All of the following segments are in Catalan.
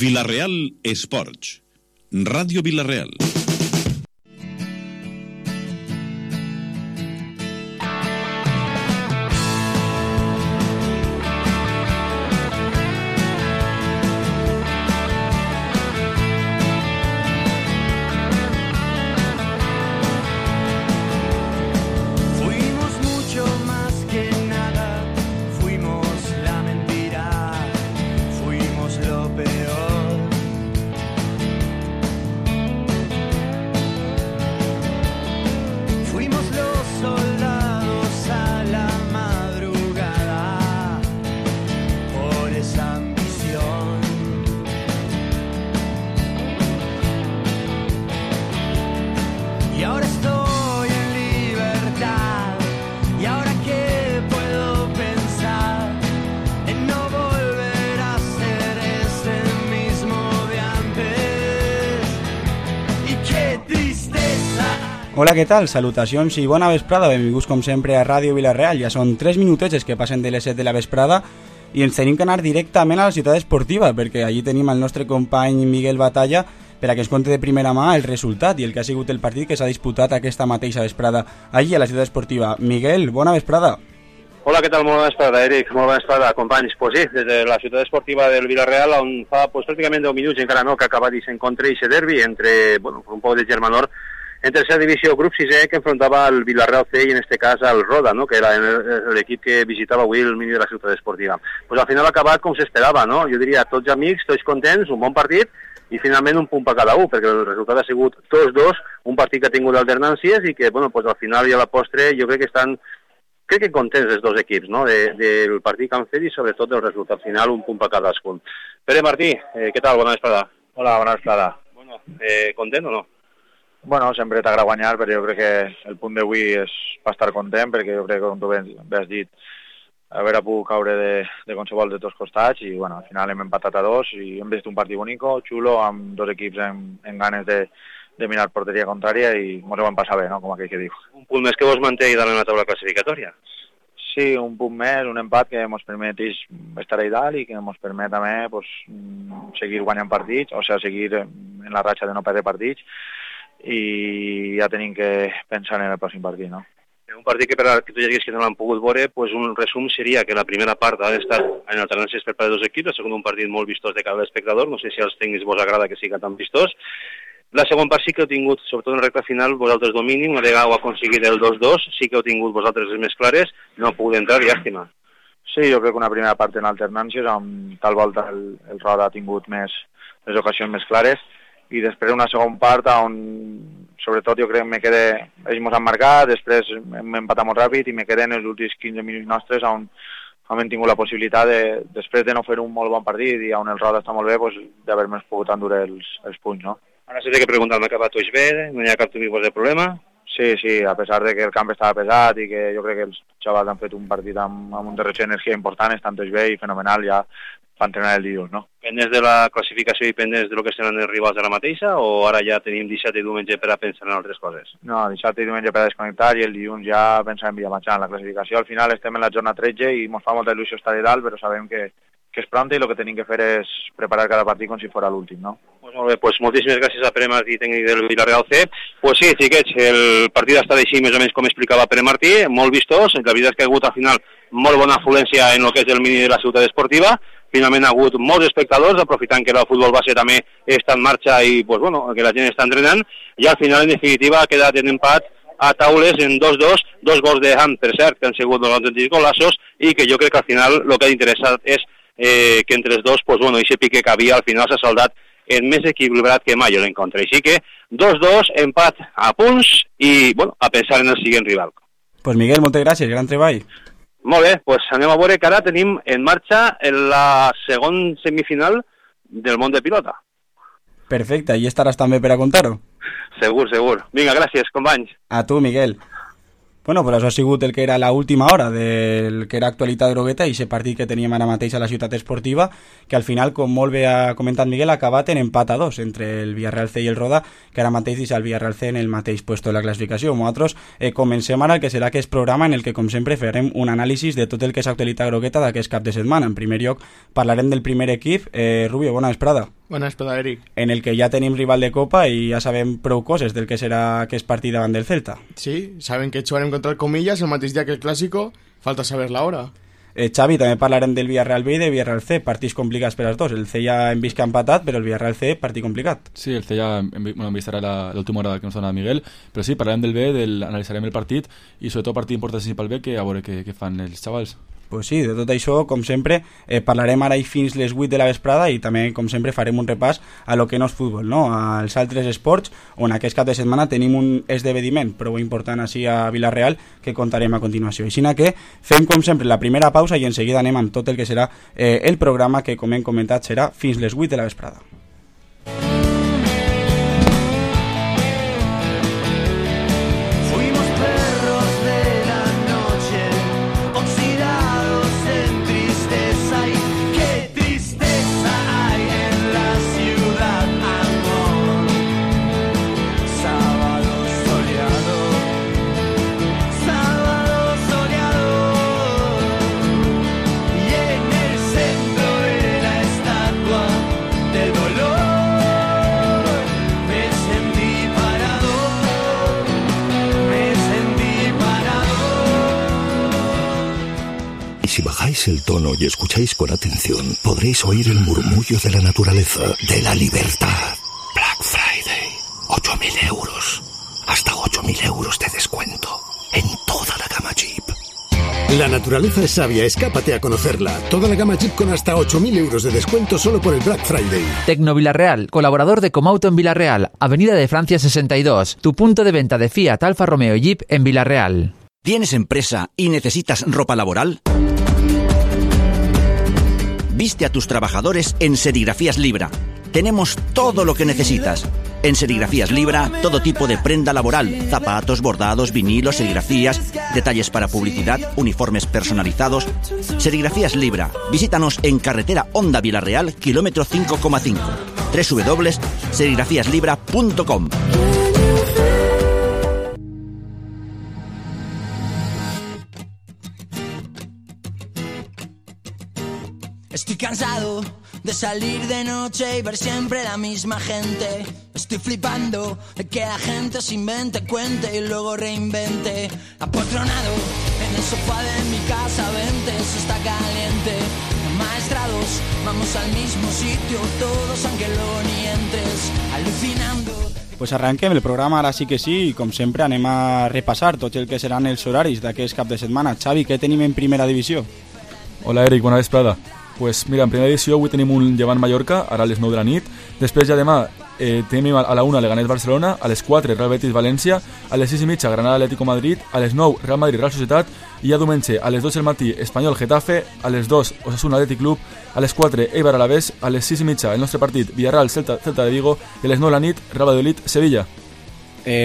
Vila-real Esports. Ràdio Vila-real. Hola, què tal? Salutacions i bona vesprada, benvinguts com sempre a Ràdio Vila-real. Ja són 3 minutets que passen de les 7 de la vesprada i ens tenim que anar directament a la ciutat esportiva, perquè allí tenim el nostre company Miguel Batalla per a que ens conti de primera mà el resultat i el que ha sigut el partit que s'ha disputat aquesta mateixa vesprada allí a la ciutat esportiva. Miguel, bona vesprada. Hola, què tal? Molt bona vesprada, Eric. Molt bona vesprada, companys. Pues sí, des de la ciutat esportiva del Vila-real, on fa pràcticament 10 minuts, encara no, que ha acabat aquest encontre i aquest derbi entre, un poc de germanor, en tercera divisió, grup 6è, que enfrontava el Vila-real C i en este cas el Roda, no? Que era l'equip que visitava avui el mini de la ciutat esportiva. Pues al final ha acabat com s'esperava, no? Jo diria, tots amics, tots contents, un bon partit, i finalment un punt per cada un, perquè el resultat ha sigut 2-2, un partit que ha tingut alternàncies i que, pues al final i a la postre jo crec que estan contents els dos equips, no? Del partit que han fet i sobretot del resultat final, un punt per cadascun. Pere Martí, què tal? Bona vesprada. Hola, bona vesprada. Bueno, content o no? Bueno, sempre t'agrada guanyar, però jo crec que el punt d'avui és per estar content, perquè jo crec que, com tu bé has dit, haver pogut caure de qualsevol de tots costats i, bueno, al final hem empatat a 2 i hem vist un partit bonico, xulo, amb dos equips en ganes de mirar porteria contrària i ens ho vam passar bé, no?, com aquell que diu. Un punt més que vos manté i dar en la taula classificatòria. Sí, un punt més, un empat que ens permet estar allà dalt i que ens permet també pues, seguir guanyant partits, o sigui, seguir en la ratxa de no perdre partits, i ja tenim que pensar en el pròxim partit, no? Un partit que per a que tu lleguis que no l'han pogut veure, pues un resum seria que la primera part ha d'estar en alternàncies per part de dos equips, el segon un partit molt vistós de cara a l'espectador, no sé si als tècnics vos agrada que siga tan vistós. La segona part sí que heu tingut, sobretot en recta final, vosaltres domini, una vegada heu aconseguit el 2-2, sí que heu tingut vosaltres les més clares, no heu pogut entrar, llàstima. Sí, jo crec que una primera part en alternàncies, amb tal volta el Roda ha tingut les ocasions més clares, i després una segona part on, sobretot, jo crec que ells ens han marcat, després hem empatat molt ràpid i me queden els últims 15 minuts nostres on hem tingut la possibilitat, després de no fer un molt bon partit i on el Roda està molt bé, pues, d'haver-nos pogut endur els punts, no? Ara s'ha de preguntar, m'ha acabat tots bé, no hi ha cap tipus de problema? Sí, a pesar de que el camp estava pesat i que jo crec que els xavals han fet un partit amb un derroche d'energia important, estan tots bé i fenomenal ja per entrenar el dilluns, no? Pendents de la classificació i pendents de lo que seran els rivals de la mateixa o ara ja tenim dissabte i diumenge per a pensar en altres coses? No, dissabte i diumenge per a desconnectar i el dilluns ja pensar en viatjar en la classificació. Al final estem en la jornada 13 i ens fa molta il·lusió estar de dalt, però sabem que és pronta i el que tenim que fer és preparar cada partit com si fos l'últim, no? Pues molt bé, pues moltíssimes gràcies a Pere Martí, tècnic del Vila-real C. Pues sí, xiquets, el partit ha estat així més o menys com explicava Pere Martí, molt vistós, la veritat és que ha hagut al final molt bona afluència en el que és el mini de la ciutat esportiva, finalment ha hagut molts espectadors, aprofitant que el futbol base també està en marxa i pues, que la gent està entrenant, i al final, en definitiva, ha quedat en empat a taules en 2-2, 2 gols de Ham, per cert, que han sigut dos autèntics golaços, i que jo crec que al final el que ha interessat és que entre els dos, aquest pique que havia al final s'ha saldat en més equilibrat que mai l'encontre. Així que 2-2, empat a punts i a pensar en el següent rival. Pues Miguel, moltes gràcies, gran treball. Molt bé, doncs anem a veure que ara tenim en marxa la segona semifinal del món de pilota. Perfecte, i estaràs també per a contar-ho? Segur. Vinga, gràcies, companys. A tu, Miguel. Bueno, pues això ha sigut el que era l'última hora del que era actualitat grogueta i aquest partit que teníem ara mateix a la ciutat esportiva, que al final, com molt bé ha comentat Miguel, ha acabat en empat a 2 entre el Villarreal C i el Roda, que ara mateix deixa el Villarreal C en el mateix puesto de la classificació. Nosaltres comencem ara el que serà aquest programa en el que, com sempre, farem un anàlisi de tot el que és actualitat grogueta d'aquest cap de setmana. En primer lloc, parlarem del primer equip. Rubio, bona vesprada. Bona espada, Eric. En el que ja tenim rival de Copa i ja sabem prou coses del que serà aquest partit davant del Celta. Sí, saben que jugarem contra el Comillas el mateix dia que el Clásico, falta saber la hora. Xavi, també parlarem del Villarreal B i de Villarreal C, partits complicats per als dos. El C ja hem vist que ha empatat, però el Villarreal C, partit complicat. Sí, el C ja hem vist ara l'última hora que ens dona Miguel, però sí, parlarem del B, analitzarem el partit i sobretot partit importantíssim pel B, que a veure què fan els xavals. Pues sí, de tot això, com sempre, parlarem ara i fins les 8 de la vesprada i també, com sempre, farem un repàs a lo que no és futbol, no? Als altres esports, on aquest cap de setmana tenim un esdeveniment prou important així a Villarreal que contarem a continuació. Així que fem, com sempre, la primera pausa i en seguida anem amb tot el que serà el programa que, com hem comentat, serà fins les 8 de la vesprada. Si bajáis el tono y escucháis con atención, podréis oír el murmullo de la naturaleza, de la libertad. Black Friday, 8.000 euros. Hasta 8.000 euros de descuento en toda la gama Jeep. La naturaleza es sabia, escápate a conocerla. Toda la gama Jeep con hasta 8.000 euros de descuento solo por el Black Friday. Tecno Villarreal, colaborador de Comauto en Villarreal, Avenida de Francia 62, tu punto de venta de Fiat, Alfa Romeo y Jeep en Villarreal. ¿Tienes empresa y necesitas ropa laboral? Viste a tus trabajadores en Serigrafías Libra. Tenemos todo lo que necesitas. En Serigrafías Libra, todo tipo de prenda laboral, zapatos, bordados, vinilos, serigrafías, detalles para publicidad, uniformes personalizados. Serigrafías Libra. Visítanos en carretera Honda Villarreal, kilómetro 5,5. www.serigrafiaslibra.com. Estoy cansado de salir de noche y ver siempre la misma gente. Estoy flipando de que la gente se invente, cuente y luego reinvente. Apotronado en el sofá de mi casa, vente, eso está caliente. Maestrados, vamos al mismo sitio, todos aunque luego ni entres, alucinando. Pues arranquem el programa, ara sí que sí, i com sempre anem a repassar tot el que seran els horaris d'aquest cap de setmana. Xavi, què tenim en primera divisió? Hola Eric, bona vesprada. Pues mira, en primera edició avui tenim un Llevant Mallorca, ara a les 9 de la nit. Després ja demà tenim a la 1 Leganés Barcelona, a les 4 Real Betis València, a les 6 i mitja Granada Atlético Madrid, a les 9 Real Madrid Real Societat i ja diumenge a les 2 del matí Espanyol Getafe, a les 2 Osasuna Athletic Club, a les 4 Eibar Alavés, a les 6 i mitja el nostre partit Villarreal Celta de Vigo i a les 9 de la nit Real Valladolid Sevilla.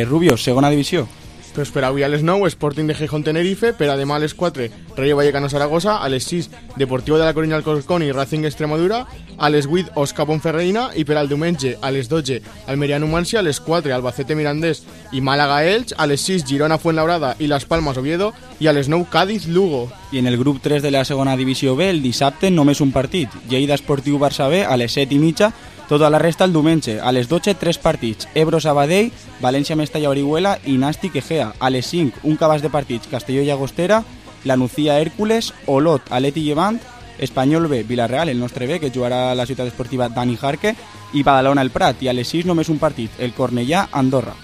Rubio, segona divisió. Pues per avui a les 9 Sporting de Gijón Tenerife, per a demà a les 4 Rayo Vallecano Zaragoza, a les 6 Deportivo de la Coruña Alcorcón i Racing Extremadura, a les 8 Osca Ponferreina i per al diumenge a les 12 Almeria Numancia, a les 4 Albacete Mirandés i Málaga Elx, a les 6 Girona Fuenlabrada i Las Palmas Oviedo i a les 9 Cádiz Lugo. I en el grup 3 de la segona divisió B el dissabte només un partit, Lleida Esportiu Barça B a les 7 i mitja. Tota la resta el diumenge, a les 12, 3 partits, Ebro Sabadell, València Mestalla Orihuela i Nàstic Egea. A les 5, un cabàs de partits, Castelló i Llagostera, la Nucía Hércules, Olot, Aleti Llevant, Espanyol B, Villarreal, el nostre B, que jugarà a la ciutat esportiva Dani Jarque, i Badalona el Prat. I a les 6 només un partit, el Cornellà Andorra.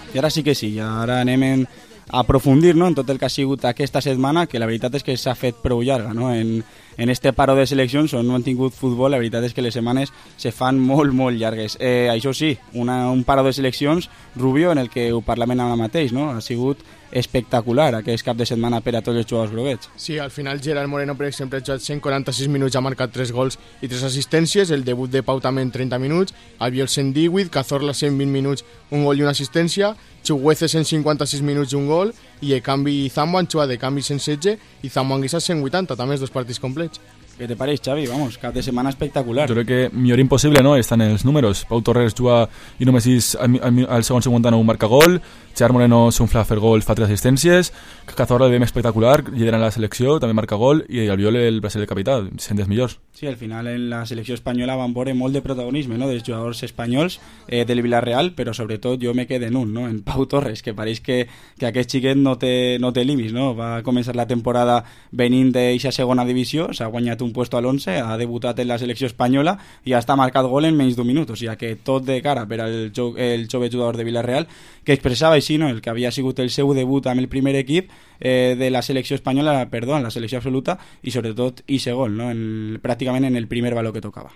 I ara sí que sí, ara anem a aprofundir, no?, en tot el que ha sigut aquesta setmana, que la veritat és que s'ha fet prou llarga, no?, en este paro de seleccions on no han tingut futbol. La veritat és que les setmanes se fan molt, molt llargues. Això sí, un paro de seleccions, Rubio, en el que ho parlem ara mateix, no?, ha sigut espectacular aquest cap de setmana per a tots els jugadors groguets. Sí, al final Gerard Moreno, per exemple, ha jugat 146 minuts, ha marcat 3 gols i 3 assistències, el debut de Pau també en 30 minuts, Albiol 118, Cazorla 120 minuts, un gol i una assistència, Chuguece 156 minuts i un gol, i Ekambi i Zambo han jugat de canvi 116 i Zambo Anguissa 180, també els dos partits complets. Què te pareix, Xavi? Vamos, cap de setmana espectacular. Jo crec que millor impossible, no?, estan els números. Pau Torres juga i només al segon 59 marca gol, Gerard Moreno s'unfla a fer gol, fa 3 assistències, Cazorla el veiem espectacular, liderant la selecció, també marca gol, i Albiol el Brasil de capità, sent dels millors. Sí, al final en la selecció espanyola van veure molt de protagonisme, no?, dels jugadors espanyols del Villarreal, però sobretot jo me quedo en un, no?, en Pau Torres, que pareix que aquest xiquet no té límits, no? Va començar la temporada venint d'eixa segona divisió, s'ha guanyat un puesto al 11, ha debutat en la selecció espanyola i ha marcat gol en menys d'un minut, o sigui que tot de cara per al jove jugador de Villarreal, que expressava així, no?, el que havia sigut el seu debut amb el primer equip de la selecció espanyola, en la selecció absoluta, i sobretot ese gol, ¿no?, prácticamente en el primer balón que tocaba.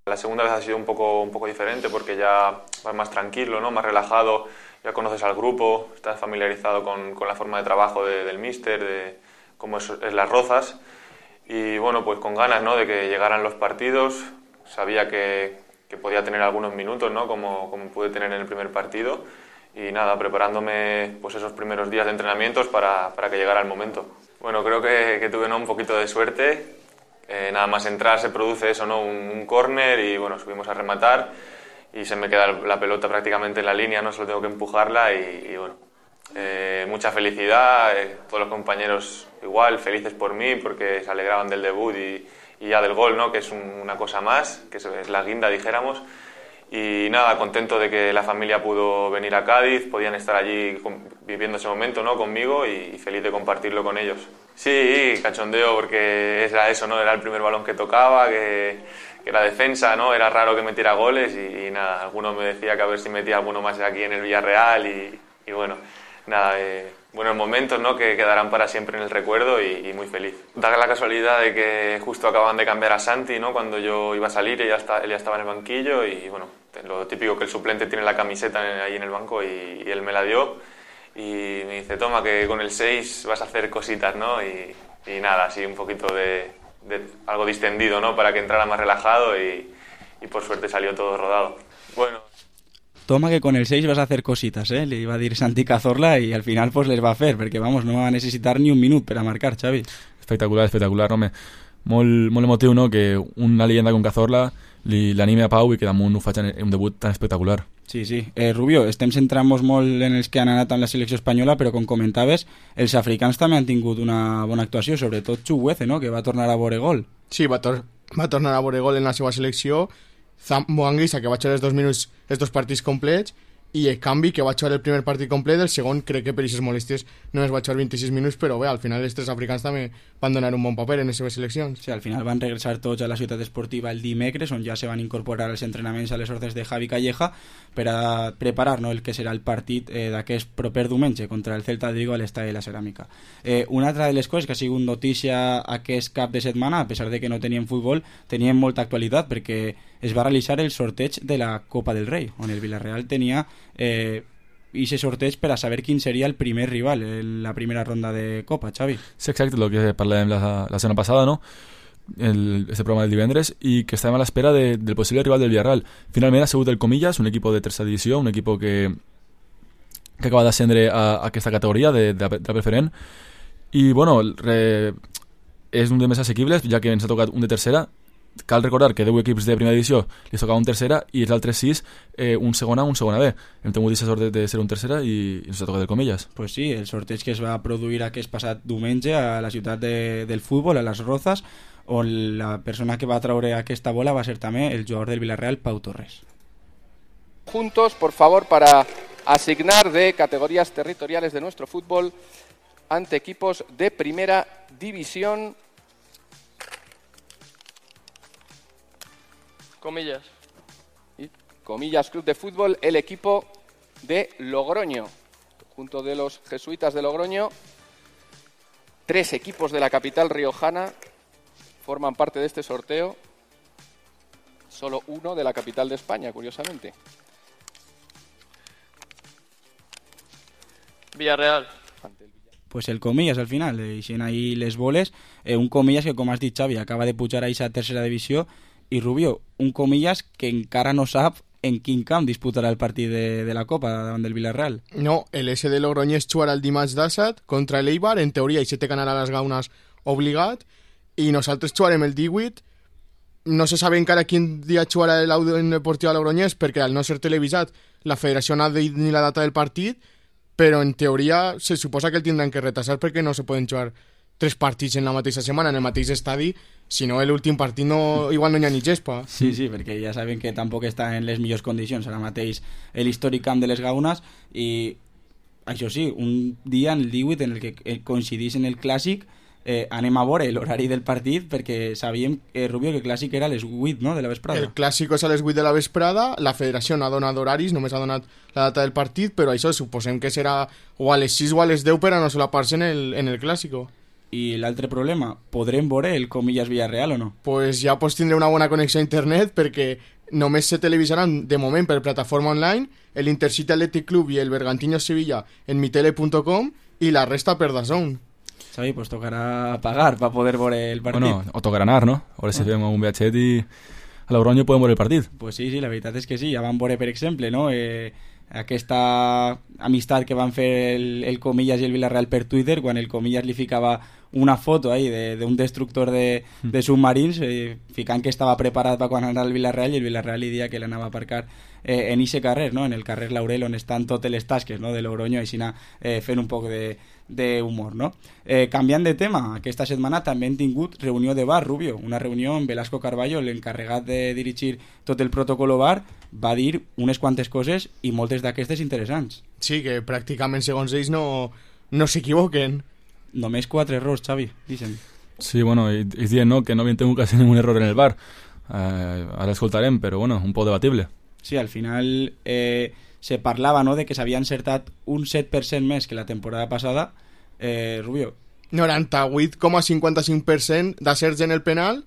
La segunda vez ha sido un poco diferente porque ya vas más tranquilo, ¿no?, más relajado, ya conoces al grupo, estás familiarizado con la forma de trabajo del míster, de cómo es Las Rozas, y bueno, pues con ganas, ¿no?, de que llegaran los partidos. Sabía que podía tener algunos minutos, ¿no?, como pude tener en el primer partido, y nada, preparándome pues esos primeros días de entrenamientos para que llegara el momento. Bueno, creo que tuve, ¿no?, un poquito de suerte. Nada más entrar se produce eso, ¿no?, un córner, y bueno, subimos a rematar y se me queda la pelota prácticamente en la línea, no solo tengo que empujarla, y bueno, mucha felicidad, todos los compañeros igual, felices por mí porque se alegraban del debut y ya del gol, ¿no?, que es una cosa más, que es la guinda, dijéramos. Y nada, contento de que la familia pudo venir a Cádiz, podían estar allí viviendo ese momento, ¿no?, conmigo, y feliz de compartirlo con ellos. Sí, cachondeo porque era eso, ¿no?, era el primer balón que tocaba, que era defensa, ¿no?, era raro que metiera goles, y nada, alguno me decía que a ver si metía alguno más aquí en el Villarreal, y bueno, nada, buenos momentos, ¿no?, que quedarán para siempre en el recuerdo, y muy feliz. Da la casualidad de que justo acaban de cambiar a Santi, ¿no?, cuando yo iba a salir, él ya estaba en el banquillo, y bueno, lo típico que el suplente tiene la camiseta ahí en el banco, y él me la dio y me dice, toma, que con el 6 vas a hacer cositas, ¿no? Y nada, así un poquito de algo distendido, ¿no?, para que entrara más relajado, y por suerte salió todo rodado. Bueno. Toma, que con el 6 vas a hacer cositas, le iba a dir Santi Cazorla, y al final pues les va a fer, perquè vamos, no va a necessitar ni un minut per a marcar, Xavi. Espectacular, home. Molt emotiu, no?, que una leyenda con Cazorla l'anime a Pau i que damunt ho faig en un debut tan espectacular. Sí. Rubio, estem centrant-nos molt en els que han anat amb la selecció espanyola, però com comentaves, els africans també han tingut una bona actuació, sobretot Chukwueze, no?, que va tornar a veure gol. Sí, va tornar a veure gol en la seva selecció. Zambo Anguissa, que va jugar els dos partits complets, i el canvi, que va jugar el primer partit complet, el segon crec que per aquestes molèsties només va jugar 26 minuts, però bé, al final els tres africans també van donar un bon paper en les seves seleccions. Sí, al final van regressar tots a la ciutat esportiva el dimecres, on ja se van incorporar als entrenaments a les ordres de Javi Calleja per a preparar, no?, el que serà el partit d'aquest proper diumenge contra el Celta de Vigo a l'Estadi de la Ceràmica. Una altra de les coses que ha sigut notícia aquest cap de setmana, a pesar de que no tenien futbol, tenien molta actualitat, perquè es va realitzar el sorteig de la Copa del Rei, on el Villarreal tenia ese sorteig per a saber quin seria el primer rival en la primera ronda de Copa, Xavi. Sí, exacte, el que parlàvem la setmana passada, no?, este programa del divendres, i que estàvem a l'espera del possible rival del Villarreal. Finalment ha sigut el Comillas, un equip de tercera divisió, un equip que acaba d'ascendre a aquesta categoria de la preferent, i bueno, és un dels més assequibles, ja que ens ha tocat un de tercera. Cal recordar que 10 equips de primera divisió li tocava un tercera, i els altres 6 un segona B. Hem tingut aquesta sort de ser un tercera i ens ha tocat el Comillas. Pues sí, el sorteig que es va produir aquest passat diumenge a la ciutat del futbol, a Las Rozas, on la persona que va traure aquesta bola va ser també el jugador del Villarreal, Pau Torres. Juntos, por favor, para asignar de categorías territoriales de nuestro fútbol ante equipos de primera división. Comillas. Comillas Club de Fútbol, el equipo de Logroño, junto de los jesuitas de Logroño. 3 equipos de la capital riojana forman parte de este sorteo. Solo uno de la capital de España, curiosamente. Villarreal. Pues el Comillas al final, hicieron ahí les boles, un Comillas que, com has dit, Xavi, acaba de pujar a esa tercera divisió, i Rubio, un Comillas que encara no sap en quin camp disputarà el partit de la Copa davant del Villarreal. No, el SD Logroñés jugarà el dimarts d'Assat contra l'Eibar, en teoria, i se té que anar a les Gaunes obligat, i nosaltres jugarem el 18. No se sabe encara quin dia jugarà en Deportiva Logroñés, perquè al no ser televisat la federació no ha dit ni la data del partit, però en teoria se suposa que el tindran que retrasar perquè no se poden jugar 3 partits en la mateixa setmana, en el mateix estadi, si no l'últim partit igual no hi ha ni gespa. Sí, perquè ja saben que tampoc està en les millors condicions ara mateix l'històric camp de les Gaunes, i això sí, un dia en el 18 en el que coincidís en el Clàssic, anem a veure l'horari del partit, perquè sabíem, Rubio, que el Clàssic era a les 8, no?, de la vesprada. El Clàssic és a les 8 de la vesprada, la federació no ha donat horaris, només ha donat la data del partit, però això suposem que serà o a les 6 o a les 10 per a no solapar-se en el Clàssico. I l'altre problema, podrem veure el Comillas Villarreal o no? Pues ja pots tindre una bona connexió a internet, perquè només se televisaran de moment per plataforma online el Intercity Athletic Club i el Bergantiños Sevilla en mitele.com i la resta per DAZN. Xavi, pues tocarà pagar per poder veure el partit. Bueno, o tocarà anar, no? A veure si fem un viatget i a Logroño podem veure el partit. Pues sí, la veritat és que sí. Ja van veure, per exemple, no?, aquesta amistat que van fer el Comillas i el Villarreal per Twitter, quan el Comillas li ficava una foto ahí d'un destructor de submarins, ficant que estava preparat per quan anava al Villarreal, i el Villarreal li dia que l'anava a aparcar en ixe carrer, no?, en el carrer Laurel, on estan totes les tasques, no?, de Logroño, així fent un poc d'humor, no? Canviant de tema, aquesta setmana també hem tingut reunió de bar, Rubio, una reunió amb Velasco Carballo, l'encarregat de dirigir tot el protocolo bar, va dir unes quantes coses i moltes d'aquestes interessants. Sí, que pràcticament segons ells no s'equivoquen. Només 4 errors, Xavi, dicen. Sí, bueno, ells diuen no, que no havien tingut quasi ningún error en el bar. Ara escoltarem, però bueno, un poc debatible. Sí, al final se parlava, no?, de que s'havia encertat un 7% més que la temporada passada. Rubio. 98,55% d'acerts en el penal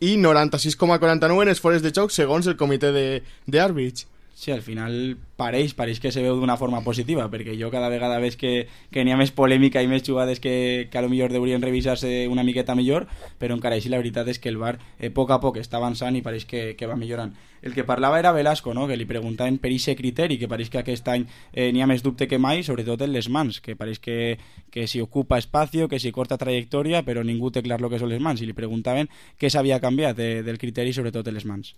i 96,49% en els fores de joc segons el comitè d'àrbits. Sí, al final pareix que se veu d'una forma positiva, perquè jo cada vegada veig que n'hi ha més polèmica i més jugades que a lo millor deurien revisar-se una miqueta millor, però encara així la veritat és que el VAR a poc està avançant i pareix que va millorant. El que parlava era Velasco, no?, que li preguntaven per aquest criteri, que pareix que aquest any n'hi ha més dubte que mai, sobretot en les mans, que pareix que si ocupa espacio, que si corta trajectòria, però ningú té clar el que són les mans, i li preguntaven què s'havia canviat del criteri, sobretot en les mans.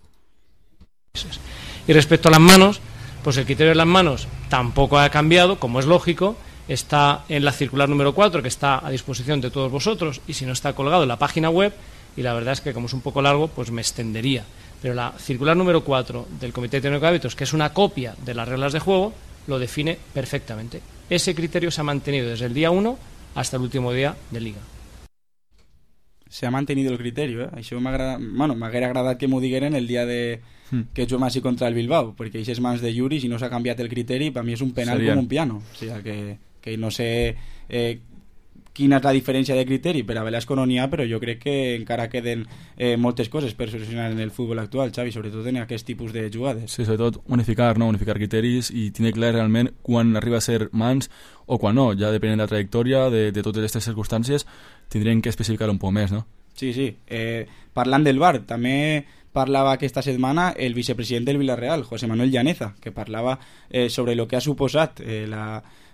Y respecto a las manos, pues el criterio de las manos tampoco ha cambiado, como es lógico, está en la circular número 4, que está a disposición de todos vosotros, y si no está colgado en la página web, y la verdad es que como es un poco largo, pues me extendería. Pero la circular número 4 del Comité Técnico de Árbitros, que es una copia de las reglas de juego, lo define perfectamente. Ese criterio se ha mantenido desde el día 1 hasta el último día de Liga. Se ha mantenido el criterio, Això m'haguera agradat que m'ho digueren el dia que juguem així contra el Bilbao, perquè aquestes mans de Yuri, si no s'ha canviat el criteri, per mi és un penal com un piano. O sigui, que no sé quina és la diferència de criteri, per a Velasco no n'hi ha, però jo crec que encara queden moltes coses per solucionar en el futbol actual, Xavi, sobretot en aquest tipus de jugades. Sí, sobretot unificar criteris i tenir clar realment quan arriba a ser mans o quan no, ja depenent de la trajectòria, de totes aquestes circumstàncies, tindrien que especificar un poc més, no? Sí. Parlant del VAR, també parlava aquesta setmana el vicepresident del Villarreal, José Manuel Llaneza, que parlava sobre el que ha suposat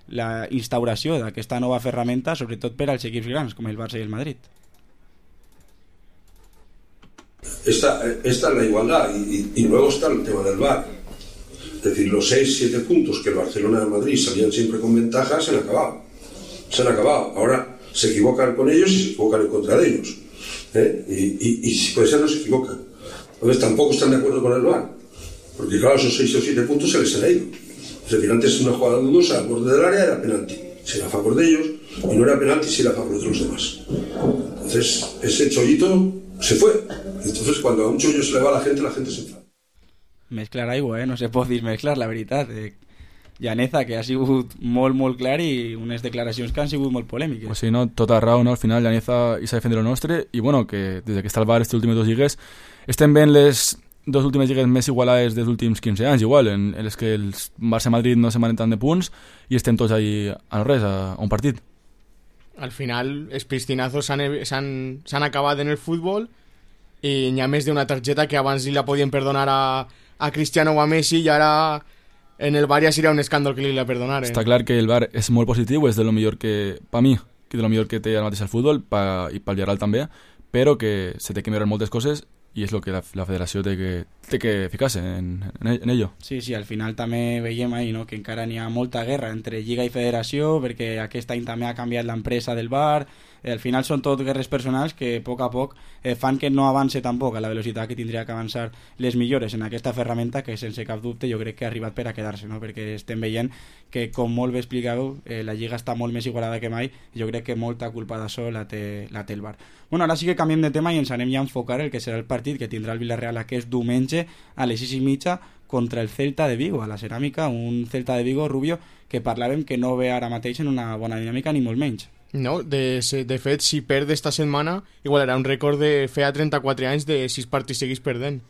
la instauració d'aquesta nova ferramenta, sobretot per als equips grans, com el Barça y el Madrid. Esta es la igualdad y luego está el tema del VAR. Es decir, los 6-7 puntos que el Barcelona y el Madrid salían siempre con ventaja se han acabado. Ahora se equivocan con ellos y se equivocan en contra de ellos. Y si puede ser no se equivocan. Entonces tampoco están de acuerdo con el VAR. Porque claro, esos 6 o 7 puntos se les han ido. Es decir, antes una jugada dudosa al borde del área era penalti. Si era a favor de ellos, y no era penalti si era a favor de los demás. Entonces, ese chollito se fue. Entonces, cuando a un chollo se le va a la gente se enfada. Mezclar aigua, no se pot dir mezclar, la veritat. Llaneza, que ha sigut molt clar i unes declaracions que han sigut molt polèmiques. Pues sí, no, tota raó, no? Al final Llaneza hi s'ha defendit lo nostre i bueno, que des que està al VAR aquestes últimes 2 lligues estem veient les 2 últimes lligues més igualades dels últims 15 anys, igual, en les que el Barça-Madrid no se manen tant de punts i estem tots ahí a no res, a un partit. Al final, els piscinazos s'han acabat en el futbol i n'hi ha més d'una targeta que abans li la podien perdonar a Cristiano o a Messi i ara en el VAR ja seria un escàndol que li la perdonaren. Està clar que el VAR és molt positiu, és de lo millor que, per mi, que de lo millor que té ara mateix el futbol i pel Gerald també, però que se té que millorar moltes coses i és el que la federació té que ficar-se en ello. Sí, al final també veiem ahí, no, que encara n'hi ha molta guerra entre Lliga i Federació, perquè aquest any també ha canviat l'empresa del bar. Al final són tot guerres personals que a poc fan que no avance tampoc a la velocitat que tindria que avançar les millores en aquesta ferramenta, que sense cap dubte jo crec que ha arribat per a quedar-se, no? Perquè estem veient que, com molt bé explicàveu, la Lliga està molt més igualada que mai i jo crec que molta culpa d'això la té el VAR. Bueno, ara sí que canviem de tema i ens anem ja a enfocar el que serà el partit que tindrà el Villarreal aquest diumenge a les 6:30 contra el Celta de Vigo, a la Ceràmica, un Celta de Vigo, Rubio, que parlàvem que no ve ara mateix en una bona dinàmica ni molt menys. No, de fet, si perd esta setmana, igualarà un rècord de feia 34 anys de 6 partits seguits perdent.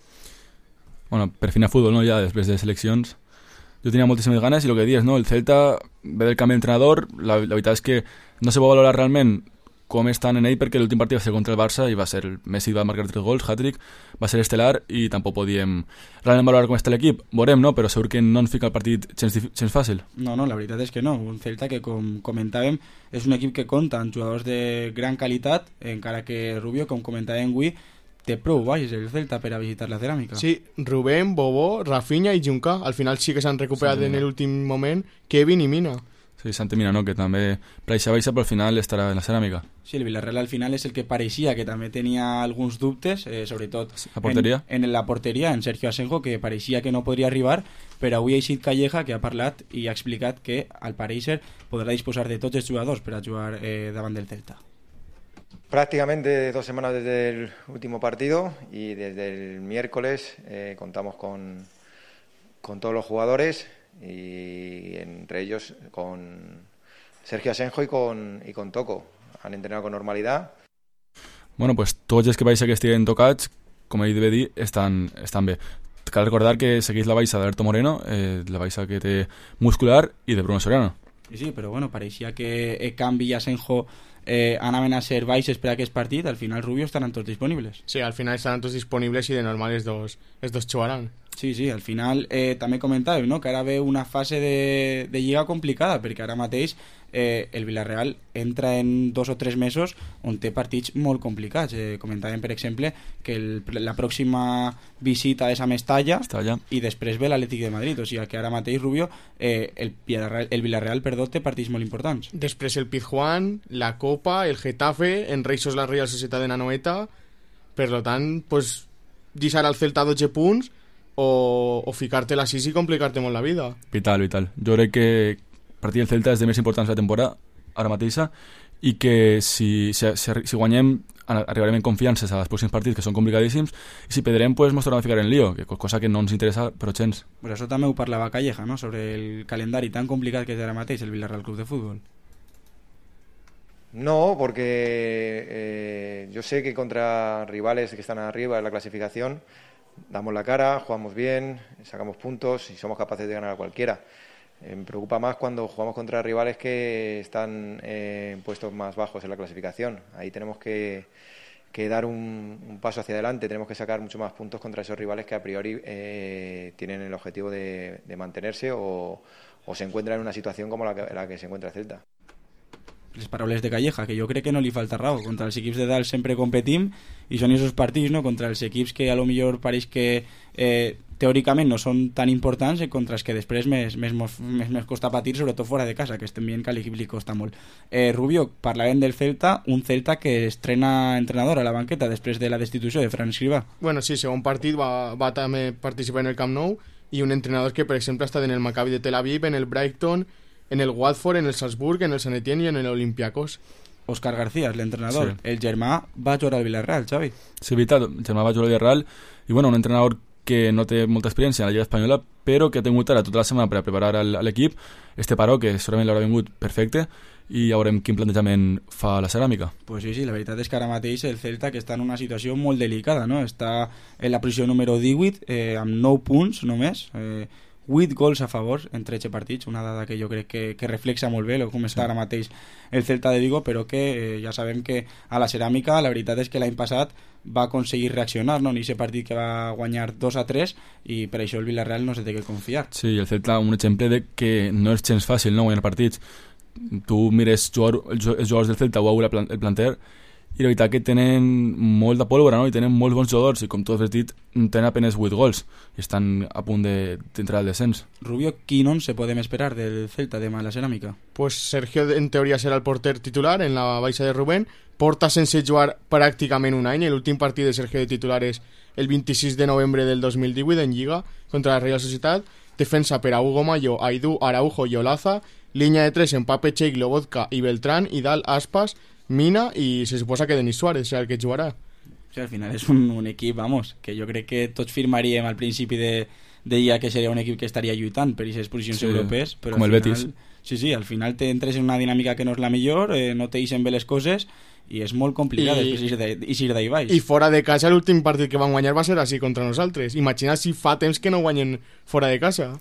Bueno, per fin a futbol, no? Ja després de seleccions. Jo tenia moltíssimes ganes i el que dius, no? El Celta ve del canvi d'entrenador, la veritat és que no se pot valorar realment com estan en ell, perquè l'últim partit va ser contra el Barça i va ser el Messi va marcar 3 gols, hat-trick, va ser estel·lar i tampoc podíem realment valorar com està l'equip. Veurem, no? Però segur que no ens fica el partit gens fàcil. No, la veritat és que no. Un Celta que, com comentàvem, és un equip que compta amb jugadors de gran qualitat, encara que Rubio, com comentàvem avui, té prou baix el Celta per a visitar la Ceràmica. Sí, Rubén, Bobó, Rafinha i Juncà. Al final sí que s'han recuperat en l'últim moment Kevin i Mina. Sí, Santi Mina, no? Que també per això baixa, però al final estarà en la Ceràmica. Sí, el Villarreal al final és el que pareixia que també tenia alguns dubtes, sobretot la porteria. En la porteria, en Sergio Asenjo, que pareixia que no podria arribar, però avui ha eixit Calleja, que ha parlat i ha explicat que al pareixer podrà disposar de tots els jugadors per a jugar davant del Celta. Prácticamente 2 semanas desde el último partido y desde el miércoles contamos con todos los jugadores y entre ellos con Sergio Asenjo y con Toco. Han entrenado con normalidad. Bueno, pues tots els que baixa que estiguen tocats, com ell deve dir, estan bé. Cal recordar que segueix la baixa d'Alberto Moreno, la baixa que té muscular, i de Bruno Soriano. Sí, però bueno, pareixia que Cambi i Asenjo anaven a ser baixes per a aquest partit. Al final Rubio estaran tots disponibles. Sí, al final estaran tots disponibles i de normal els dos jugaran. Sí, al final també comentàvem, no? Que ara ve una fase de lliga complicada, perquè ara mateix el Villarreal entra en 2 o 3 mesos on té partits molt complicats. Comentàvem, per exemple, que la pròxima visita és a Mestalla i després ve l'Atlètic de Madrid, o sigui que ara mateix Rubio el Villarreal té partits molt importants. Després el Pizjuán, la Copa, el Getafe, en Reixos la Real Societat de Nanoeta. Per tant, pues, deixar al Celta 12 punts o ficar-te la 6 i complicar-te molt la vida. Vital. Jo crec que el partit del Celta és de més importants de la temporada ara mateixa i que si guanyem arribarem en confiances als pròxims partits, que són complicadíssims, i si perdrem pues ens tornem a ficar en lío, cosa que no ens interessa però gens. Pues això també ho parlava Calleja, ¿no? Sobre el calendari tan complicat que és ara mateix el Villarreal Club de Fútbol. No, porque yo sé que contra rivales que están arriba en la clasificación damos la cara, jugamos bien, sacamos puntos y somos capaces de ganar a cualquiera. Me preocupa más cuando jugamos contra rivales que están en puestos más bajos en la clasificación. Ahí tenemos que dar un paso hacia adelante, tenemos que sacar mucho más puntos contra esos rivales que a priori tienen el objetivo de mantenerse o se encuentran en una situación como la que se encuentra Celta. Les paraules de Calleja, que jo crec que no li falta raó. Contra els equips de dalt sempre competim i són aquests partits, no? Contra els equips que a lo millor pareix que teòricament no són tan importants, contra els que després més costa patir, sobretot fora de casa, que estem veient que a l'equip li costa molt. Rubio, parlàvem del Celta, un Celta que estrena entrenador a la banqueta després de la destitució de Fran Escribà. Bueno, sí, segon partit va també participar en el Camp Nou i un entrenador que, per exemple, ha estat en el Maccabi de Tel Aviv, en el Brighton, en el Watford, en el Salzburg, en el Sant Etienne i en l'Olympiacos. Òscar García, l'entrenador. Sí. El germà va jugar al Villarreal, Xavi. Sí, veritat, el germà va jugar al Villarreal i bueno, un entrenador que no té molta experiència en la Lliga Espanyola, però que ha tingut ara tota la setmana per a preparar l'equip. Este paró, que segurament l'haurà vingut perfecte, i ja veurem quin plantejament fa la Ceràmica. Pues sí, la veritat és que ara mateix el Celta, que està en una situació molt delicada, no? Està en la posició número 18, amb 9 punts només, 8 gols a favor en 13 partits, una dada que jo crec que reflexa molt bé com està ara mateix el Celta de Vigo, però que ja sabem que a la Ceràmica la veritat és que l'any passat va aconseguir reaccionar, no? En aquest partit que va guanyar 2-3 i per això el Villarreal no se té que confiar. Sí, el Celta un exemple de que no és gens fàcil, no, guanyar partits. Tu mires els jugadors del Celta o el planter i la veritat que tenen molt de pólvora, no? I tenen molts bons jugadors, i com tu has dit, tenen apenas 8 gols i estan a punt d'entrar al descens. Rubio, quin 11 podem esperar del Celta demà a la Ceràmica? Pues Sergio en teoria serà el porter titular en la baixa de Rubén. Porta sense jugar pràcticament un any. L'últim partit de Sergio de titular és el 26 de novembre del 2018 en Lliga contra la Real Societat. Defensa per a Hugo Mayo, Aidú, Araujo i Olaza. Línia de 3 en Pape Cheik, Lobotka i Beltrán. I dalt Aspas, Mina i se suposa que Denis Suárez serà el que jugarà. Sí, al final és un equip, vamos, que jo crec que tots firmaríem al principi de Lliga que seria un equip que estaria lluitant per aquestes posicions europees, però com al el final, Betis. Sí, al final t'entres en una dinàmica que no és la millor, no te deixen bé les coses i és molt complicat eixir d'ahí baix. I fora de casa l'últim partit que van guanyar va ser així contra nosaltres. Imagina si fa temps que no guanyen fora de casa.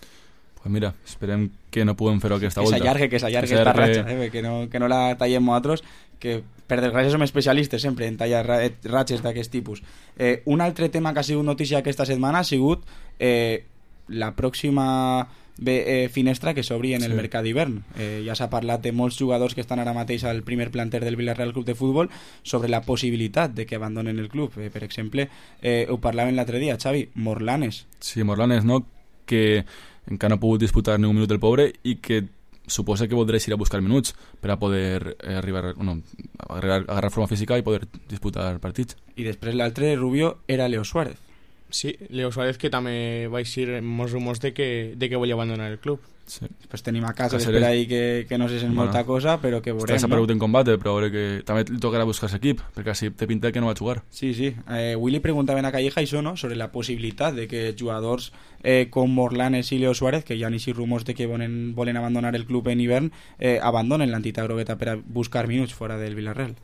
Pues mira, esperem que no puguem fer-ho aquesta volta. Que s'allargui esta ratxa, que no la tallem nosaltres, que per desgràcia som especialistes sempre en tallar ratxes d'aquest tipus. Un altre tema que ha sigut notícia aquesta setmana ha sigut la pròxima finestra que s'obri en el mercat d'hivern. Ja s'ha parlat de molts jugadors que estan ara mateix al primer planter del Villarreal Club de Futbol sobre la possibilitat de que abandonen el club. Per exemple, ho parlaven l'altre dia, Xavi, Morlanes. Sí, Morlanes, no? Que encara no ha pogut disputar ni un minut el pobre i que suposa que voldrà ir a buscar minuts per a poder agarrar forma física i poder disputar partits. I després l'altre, Rubio, era Leo Suárez. Sí, Leo Suárez, que també va eixir molts rumors de que volia abandonar el club. Sí. Després tenim a casa per ahí que no se sent molta cosa, però que veurem. Està desaparegut en combate, però veure que també li tocarà buscar-se equip, perquè així té pinta que no va jugar. Sí. Avui li preguntaven a Calleja això, no?, sobre la possibilitat de que jugadors com Morlanes i Leo Suárez, que hi ha així rumors de que volen abandonar el club en hivern, abandonen l'entitat grogueta per a buscar minuts fora del Villarreal.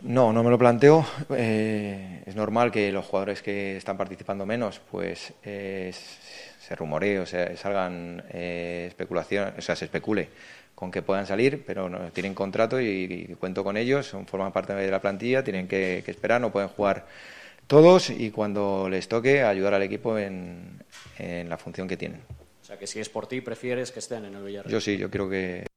No me lo planteo. Es normal que los jugadores que están participando menos, pues se rumoree, o sea, salgan especulación, o sea, se especule con que puedan salir, pero no tienen contrato y cuento con ellos, forman parte de la plantilla, tienen que esperar, no pueden jugar todos y cuando les toque ayudar al equipo en la función que tienen. O sea, que si es por ti, prefieres que estén en el Villarreal. Yo sí, yo creo que...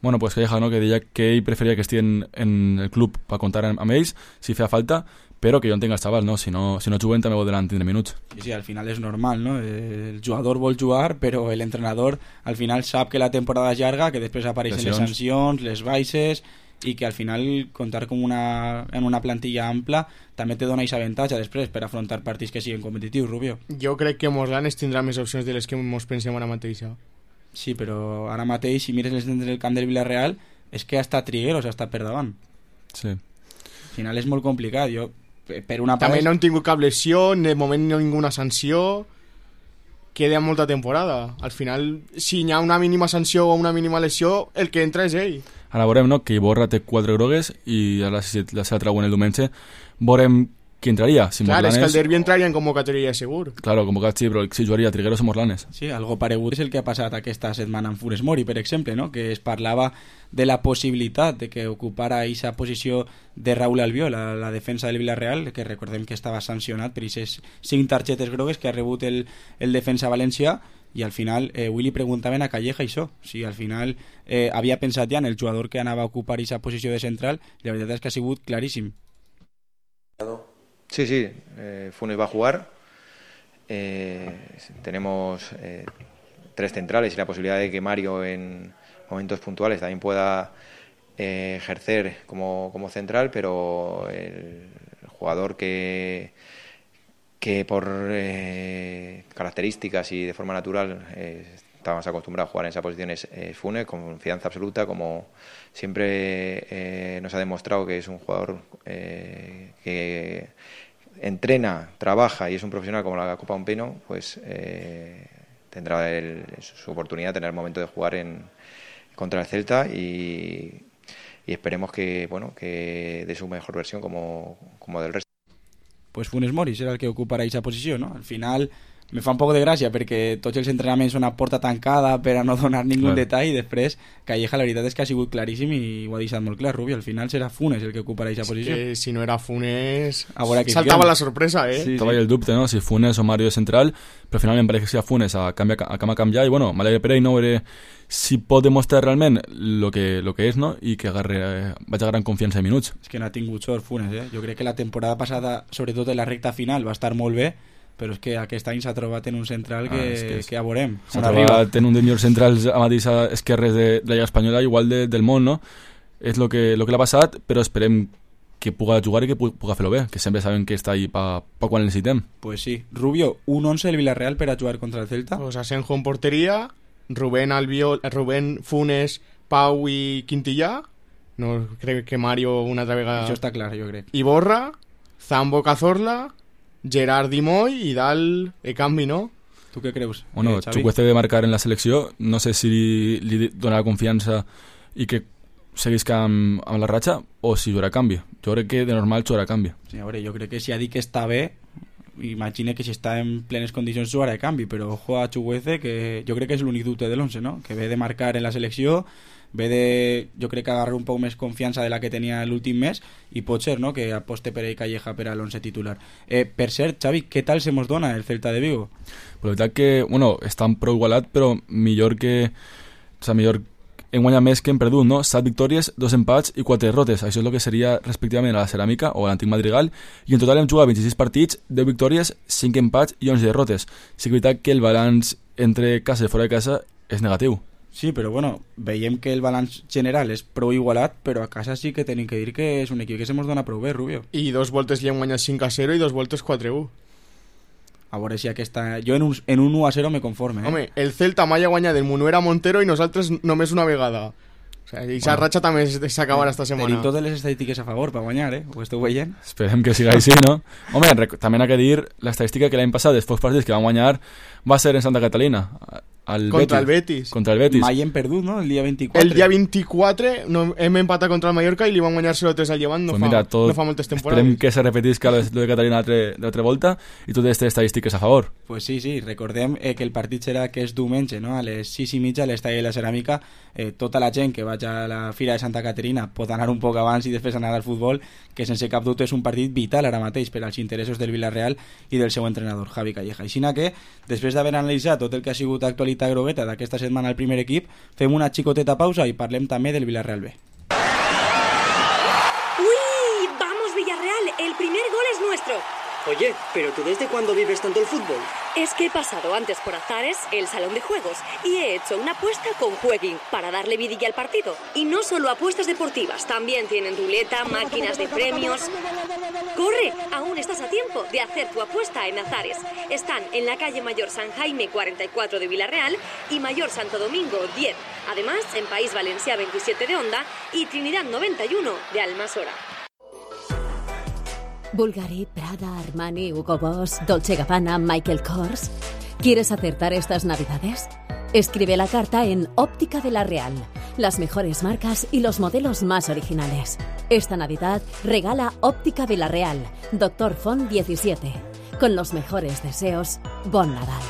Bueno, pues Calleja, no?, que deia que ell preferia que estiguin en el club per comptar amb ells si feia falta, però que jo entenc els xavals, no? Si no juguen també voldran tindre minuts. Sí, al final és normal, no? El jugador vol jugar, però l'entrenador al final sap que la temporada és llarga, que després apareixen les sancions, les baixes, i que al final comptar en una plantilla ampla també te dona aquest avantatge després per afrontar partits que siguin competitius, Rubio. Jo crec que Morlanes tindrà més opcions de les que ens pensem ara mateix. Sí, però ara mateix, si mires les dents del camp del Villarreal, és que ha estat Trigueros, ha estat per davant. Sí. Al final és molt complicat. Jo, per una part... També no han tingut cap lesió, de moment no ninguna sanció, queda molta temporada. Al final, si hi ha una mínima sanció o una mínima lesió, el que entra és ell. Ara veurem, no?, que Iborra té 4 grogues i ara si la seva trauen el diumenge, veurem qui entraria. Si Clar, Morlanes... és que el derbi entraria en convocatòria segur. Claro, convocat sí, però si jugaria Trigueros o Morlanes. Sí, algo paregut és el que ha passat aquesta setmana amb Funes Mori, per exemple, no?, que es parlava de la possibilitat de que ocupara aquesta posició de Raúl Albiol a la defensa del Villarreal, que recordem que estava sancionat per aquestes 5 targetes grogues que ha rebut el defensa valencià, i al final avui li preguntaven a Calleja això, si al final havia pensat ja en el jugador que anava a ocupar aquesta posició de central, i la veritat és que ha sigut claríssim. Sí, Funes va a jugar. Tenemos 3 centrales y la posibilidad de que Mario en momentos puntuales también pueda ejercer como central, pero el jugador que por características y de forma natural está más acostumbrado a jugar en esa posición es Funes, con confianza absoluta, como siempre nos ha demostrado que es un jugador que entrena, trabaja y es un profesional como la Copa Ompeno, pues tendrá su oportunidad de tener el momento de jugar contra el Celta y esperemos que dé su mejor versión como del resto. Pues Funes Mori serà el que ocuparà aquesta posició, no? Al final me fa un poc de gràcia perquè tots els entrenaments són a porta tancada per a no donar ningú detall, i després Calleja la veritat és que ha sigut claríssim i ho ha deixat molt clar, Rubio, al final serà Funes el que ocuparà aquesta posició. Que si no era Funes saltava la sorpresa, Sí, estava ahí el dubte, ¿no? Si Funes o Mario de central, però finalment pareix que sigui Funes a canviar i bueno, m'alegre per ell, no veure si pot demostrar realment lo que és, no? I que vaig a gran confiança de minuts. És que no ha tingut sort Funes, jo crec que la temporada passada, sobretot en la recta final, va estar molt bé, però és que aquest any s'ha trobat en un central que ja veurem. S'ha trobat en un dels millors centrals a mateix esquerres de la Lliga Espanyola, igual del món, no? És lo que l'ha passat, però esperem que puga jugar i que puga fer-lo bé, que sempre sabem que està ahí pa quan el necessitem. Pues sí. Rubio, un 11 del Villarreal per a jugar contra el Celta? Pues Asenjo en portería, Rubén, Funes, Pau i Quintillà, no crec que Mario una altra vegada... Això està clar, jo crec. Iborra, Zambo Cazorla, Gerard Dimoy i dalt canvi, no? Tu què creus? Bueno, Chukwueze de marcar en la selecció, no sé si li donarà confiança i que seguisca amb la ratxa o si jugarà a canvi. Jo crec que de normal jugarà a canvi. Sí, a veure, jo crec que si ha dit que està bé, imagina que si està en plenes condicions jugarà a canvi, però ojo a Chukwueze, que jo crec que és l'únic dubte de l'11, no? Que ve de marcar en la selecció, ve de, jo crec que agarrar un poc més confiança de la que tenia l'últim mes, i pot ser, no?, que aposte per ell Calleja per a l'11 titular. Per cert, Xavi, què tal se mos dona el Celta de Vigo? Però la veritat que, bueno, estan prou igualat, però millor hem guanyat més que hem perdut, no? 7 victòries, 2 empats i 4 derrotes. Això és el que seria respectivament a la Ceràmica o a l'antic Madrigal, i en total hem jugat 26 partits, 10 victòries, 5 empats i 11 derrotes. Sí que és veritat que el balanç entre casa i fora de casa és negatiu. Sí, però bueno, veiem que el balanç general és prou igualat, però a casa sí que tenim que dir que és un equip que se mos dona prou bé, Rubio. I 2 voltes li hem guanyat 5-0 i 2 voltes 4-1. A veure si aquesta... Jo en un 1-0 me conforme. Home, el Celta mai ha guanyat el Munuera Montero i nosaltres només una vegada. O sigui, aquesta ratxa també s'acabarà esta setmana. Tenim totes les estadístiques a favor per guanyar, Ho esteu veient? Esperem que siga així, no? Home, també ha que dir l'estadística que l'any passat, dels pocs partits que van guanyar, va ser en Santa Catalina. Contra el Betis. Mai hem perdut, no? El dia 24. El dia 24 hem empatat contra el Mallorca i li van guanyar 0-3 al Llevant no fa moltes temporades. Esperem que se repetisca lo de Catalina d'altra volta i totes aquestes estadístiques a favor. Pues sí, recordem que el partit serà que és diumenge, no? A les 6:30 a l'estadi de la Ceràmica. Tota la gent que vagi a la Fira de Santa Caterina pot anar un poc abans i després anar al futbol, que sense cap dubte és un partit vital ara mateix per als interessos del Villarreal i del seu entrenador, Javi Calleja. Així que, després d'haver analitzat tot el que ha sigut actualitat grogueta d'aquesta setmana al primer equip, fem una xicoteta pausa i parlem també del Villarreal B. ¡Uy! ¡Vamos, Villarreal! El primer gol es nuestro. Oye, ¿pero tú desde cuándo vives tanto el fútbol? Es que he pasado antes por Azares, el salón de juegos, y he hecho una apuesta con Jueguin para darle vidilla al partido. Y no solo apuestas deportivas, también tienen ruleta, máquinas de premios. ¡Corre! Aún estás a tiempo de hacer tu apuesta en Azares. Están en la calle Mayor San Jaime 44 de Villarreal y Mayor Santo Domingo 10. Además, en País Valencia 27 de Onda y Trinidad 91 de Almasora. Bulgari, Prada, Armani, Hugo Boss, Dolce Gabbana, Michael Kors. ¿Quieres acertar estas navidades? Escribe la carta en Óptica de la Real. Las mejores marcas y los modelos más originales. Esta Navidad regala Óptica de la Real, Doctor Font 17. Con los mejores deseos, Bon Nadal.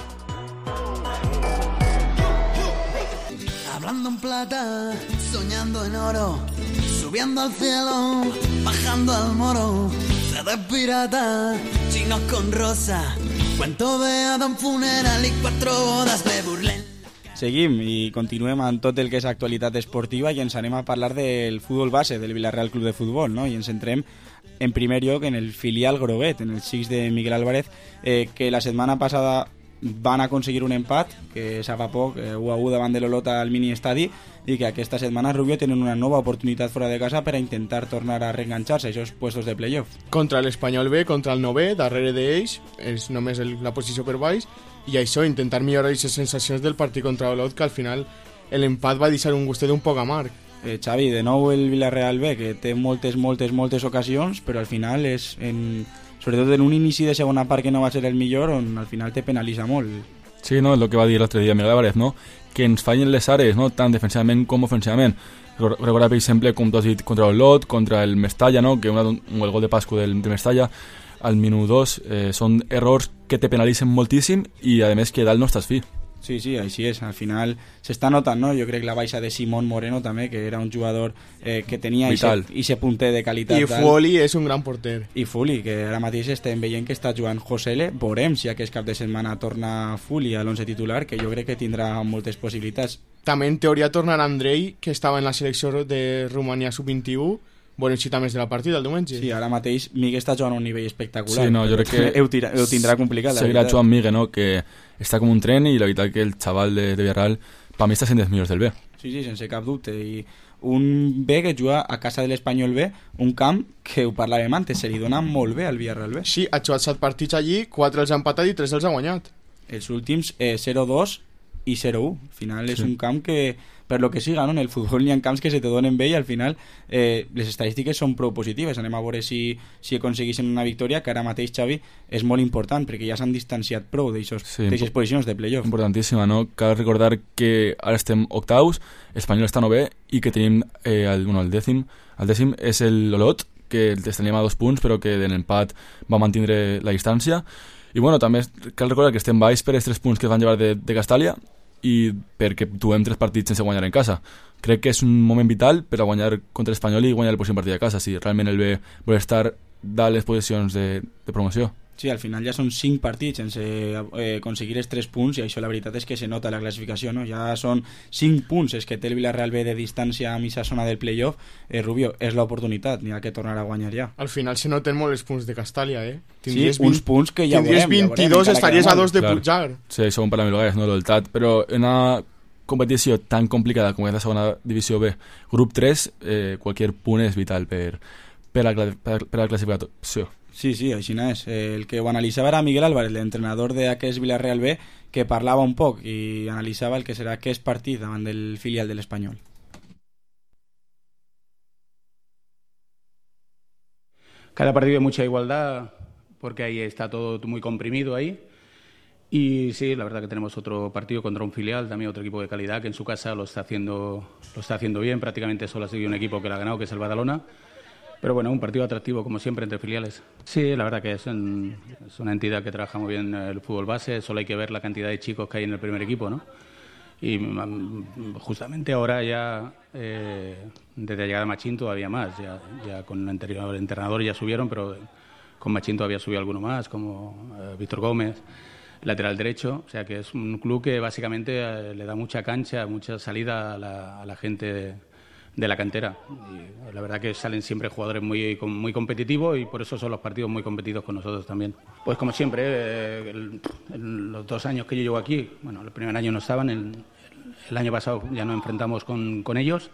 Hablando en plata, soñando en oro, subiendo al cielo, bajando al moro. De pirata, chinos con rosa, cuento de Adam funeral y 4 bodas de burlén. Seguim i continuem amb tot el que és actualitat esportiva i ens anem a parlar del futbol base del Villarreal Club de Futbol, no? I ens centrem en primer lloc en el filial groguet, en el Xics de Miguel Álvarez, que la setmana passada van aconseguir un empat, que s'ha fa poc, 1-1 davant de l'Olota al mini estadi, i que aquesta setmana Rubio tenen una nova oportunitat fora de casa per a intentar tornar a reenganxar-se a aquests puestos de playoff. Contra l'Espanyol B, contra el 9, darrere d'ells, és només la posició per baix, i això, intentar millorar aquestes sensacions del partit contra l'Olot, que al final l'empat va deixar un gustet un poc amarg. Xavi, de nou el Villarreal B, que té moltes ocasions, però al final és sobretot en un inici de segona part que no va ser el millor, on al final te penalitza molt. Sí, no, és el que va dir l'altre dia Miguel Álvarez, no? Que ens fallen les àrees, no? Tant defensivament com ofensivament. Recorda, per exemple, com tu has dit, contra el Lot, contra el Mestalla, no? Que el gol de Pascu del Mestalla, al minut 2 són errors que te penalitzen moltíssim i a més que dalt no estàs fi. Sí, així és. Al final s'està notant, no? Jo crec que la baixa de Simón Moreno també, que era un jugador que tenia ese punter de qualitat. I Fuli és un gran porter. I Fuli, que ara mateix estem veient que està jugant Josele. Veurem si aquest cap de setmana torna Fuli a l'11 titular, que jo crec que tindrà moltes possibilitats. També en teoria tornarà Andrei, que estava en la selecció de Romania sub-21. Bueno, si també és de la partida el diumenge. Sí, ara mateix Miguel està jugant a un nivell espectacular. Sí, no, jo crec que ho tindrà complicat. Seguirà jugant Miguel, no? Que està com un tren i la veritat que el xaval de Villarreal per mi està sent dels millors del B. Sí, sense cap dubte. I un B que juga a casa de l'Espanyol B, un camp que ho parlàvem antes, se li dona molt bé al Villarreal B. Sí, ha jugat 7 partits allí, 4 els ha empatat i 3 els ha guanyat. Els últims 0-2 i 0-1. Al final és un camp que, per lo que siga, no? En el futbol hi ha camps que se te donen bé i al final les estadístiques són prou positives. Anem a veure si aconsegueixen una victòria, que ara mateix, Xavi, és molt important perquè ja s'han distanciat prou d'aixes posicions de playoff. Importantíssima, no? Cal recordar que ara estem octaus, Espanyol està 9è i que tenim el dècim és l'Olot, que els teníem a 2 punts però que en l'empat va mantindre la distància. I bueno, també cal recordar que estem baix per els 3 punts que es van llevar de Castàlia i perquè duem 3 partits sense guanyar en casa. Crec que és un moment vital per a guanyar contra l'Espanyol i guanyar el pròxim partit a casa, si realment el B vol estar dalt les posicions de promoció. Sí, al final ja són 5 partits sense aconseguir els 3 punts i això la veritat és que se nota la classificació, no? Ja són 5 punts els que té el Villarreal B de distància a mitja zona del playoff. Rubio, és l'oportunitat, n'hi ha que tornar a guanyar ja. Al final se noten molt els punts de Castàlia, Tindries uns punts que ja veurem. Tindries 22, estaries a 2 de pujar. Sí, això ho parlem lugares, no? L'Oltat, però en una competició tan complicada com és la segona divisió B, grup 3, qualsevol punt és vital per la classificació. Sí, així és. El que ho analitzava era Miguel Álvarez, l'entrenador d'aquest Villarreal B, que parlava un poc i analitzava el que serà aquest partit davant del filial de l'Espanyol. Cada partido hay mucha igualdad porque ahí está todo muy comprimido ahí. Y sí, la verdad que tenemos otro partido contra un filial, también otro equipo de calidad que en su casa lo está haciendo bien. Prácticamente solo ha sido un equipo que lo ha ganado, que es el Badalona. Pero bueno, un partido atractivo como siempre entre filiales. Sí, la verdad que es una entidad que trabaja muy bien el fútbol base. Solo hay que ver la cantidad de chicos que hay en el primer equipo, ¿no? Y justamente ahora ya desde la llegada de Machín todavía más. Ya con el anterior entrenador ya subieron, pero con Machín todavía subió alguno más, como Víctor Gómez, lateral derecho. O sea que es un club que básicamente le da mucha cancha, mucha salida a la gente de la cantera. Y la verdad que salen siempre jugadores muy competitivos y por eso son los partidos muy competidos con nosotros también. Pues como siempre, los 2 años que yo llevo aquí, bueno, el primer año no estaban, el año pasado ya nos enfrentamos con ellos.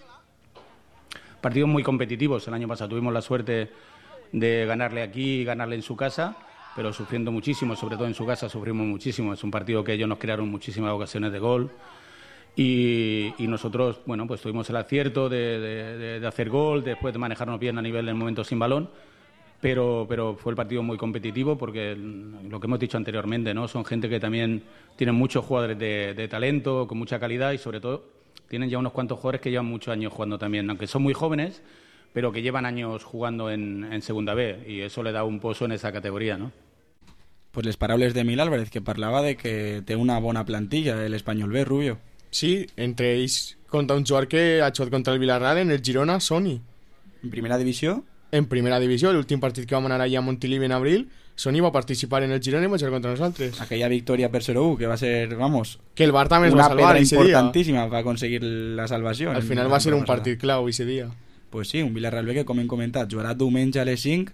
Partidos muy competitivos. El año pasado tuvimos la suerte de ganarle aquí y ganarle en su casa, pero sufriendo muchísimo, sobre todo en su casa sufrimos muchísimo. Es un partido que ellos nos crearon muchísimas ocasiones de gol. Y nosotros, bueno, pues tuvimos el acierto de hacer gol, después de manejarnos bien a nivel del momento sin balón, pero fue el partido muy competitivo porque lo que hemos dicho anteriormente, ¿no? Son gente que también tienen muchos jugadores de talento, con mucha calidad y sobre todo tienen ya unos cuantos jugadores que llevan muchos años jugando también, aunque son muy jóvenes, pero que llevan años jugando en Segunda B y eso le da un pozo en esa categoría, ¿no? Pues les paraules de Miguel Álvarez, que parlava de que té una bona plantilla l'Espanyol B, Rubio. Sí, entre ells contra un jugador que ha jugat contra el Villarreal en el Girona, Sony. En primera divisió? En primera divisió, l'últim partit que vam anar allà a Montilivi en abril, Sony va participar en el Girona i va jugar contra nosaltres. Aquella victòria per 0-1, que va ser, vamos... Que el Bar també es va salvar ese dia. Una pedra importantíssima per aconseguir la salvació. Al final va ser un partit clau ese dia. Pues sí, un Villarreal B que, com hem comentat, jugarà diumenge a les 5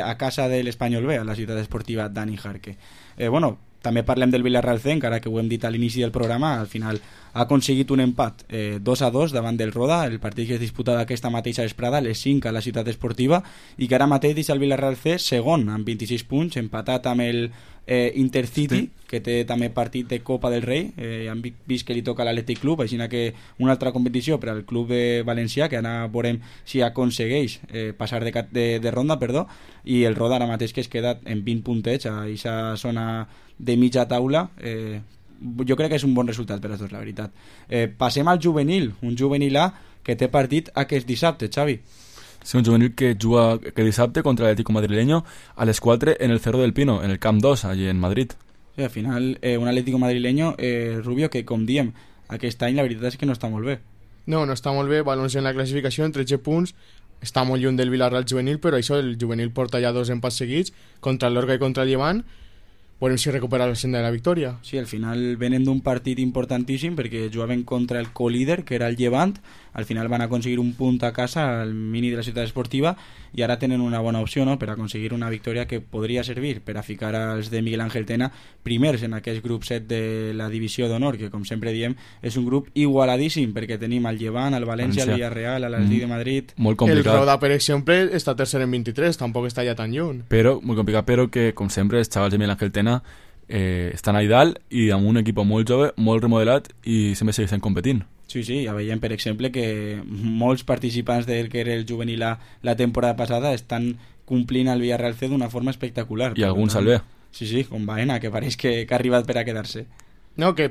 a casa de l'Espanyol B, a la ciutat esportiva Dani Jarque. Bueno, també parlem del Villarreal C, encara que ho hem dit a l'inici del programa, al final ha aconseguit un empat 2-2 davant del Roda, el partit que es disputa d'aquesta mateixa vesprada a les 5 a la ciutat esportiva, i que ara mateix deixa el Villarreal C segon amb 26 punts, empatat amb el Intercity, sí, que té també partit de Copa del Rei. Han vist que li toca a l'Atlètic Club, així que una altra competició per al club valencià, que ara veurem si aconsegueix passar de ronda, i el Roda ara mateix que es queda en 20 puntets a aquesta zona de mitja taula. Jo crec que és un bon resultat per a tots, la veritat. Passem al juvenil, un juvenil A que té partit aquest dissabte, Xavi. Sí, un juvenil que juga que dissabte contra l'Atlético madrileño a les 4 en el Cerro del Pino, en el Camp 2, allí en Madrid. Sí, al final, un Atlético madrileño, Rubio, que com diem, aquest any la veritat és que no està molt bé. No està molt bé, valors en la classificació en 13 punts, està molt lluny del Villarreal juvenil, però això, el juvenil porta ja 2 empats seguits contra l'Orga i contra el Llevant. Veurem si recupera la senda de la victòria. Sí, al final venen d'un partit importantíssim perquè jugaven contra el co-líder, que era el Llevant. Al final van aconseguir un punt a casa al mini de la ciutat esportiva i ara tenen una bona opció, no?, per aconseguir una victòria que podria servir per a ficar als de Miguel Ángel Tena primers en aquest grup 7 de la divisió d'honor, que com sempre diem és un grup igualadíssim perquè tenim el Llevant, el València, el Villarreal, l'Atlètic de Madrid. Molt complicat. El Roda, per exemple, està tercer en 23, tampoc està ja tan lluny. Però, molt complicat, però que, com sempre, els xavals de Miguel Ángel Tena estan allà dalt i amb un equip molt jove, molt remodelat i sempre segueixen competint. Sí, ja veiem, per exemple, que molts participants del que era el juvenil la temporada passada estan complint el Villarreal C d'una forma espectacular. I alguns al B. Sí, com Baena, que pareix que ha arribat per a quedar-se. No, que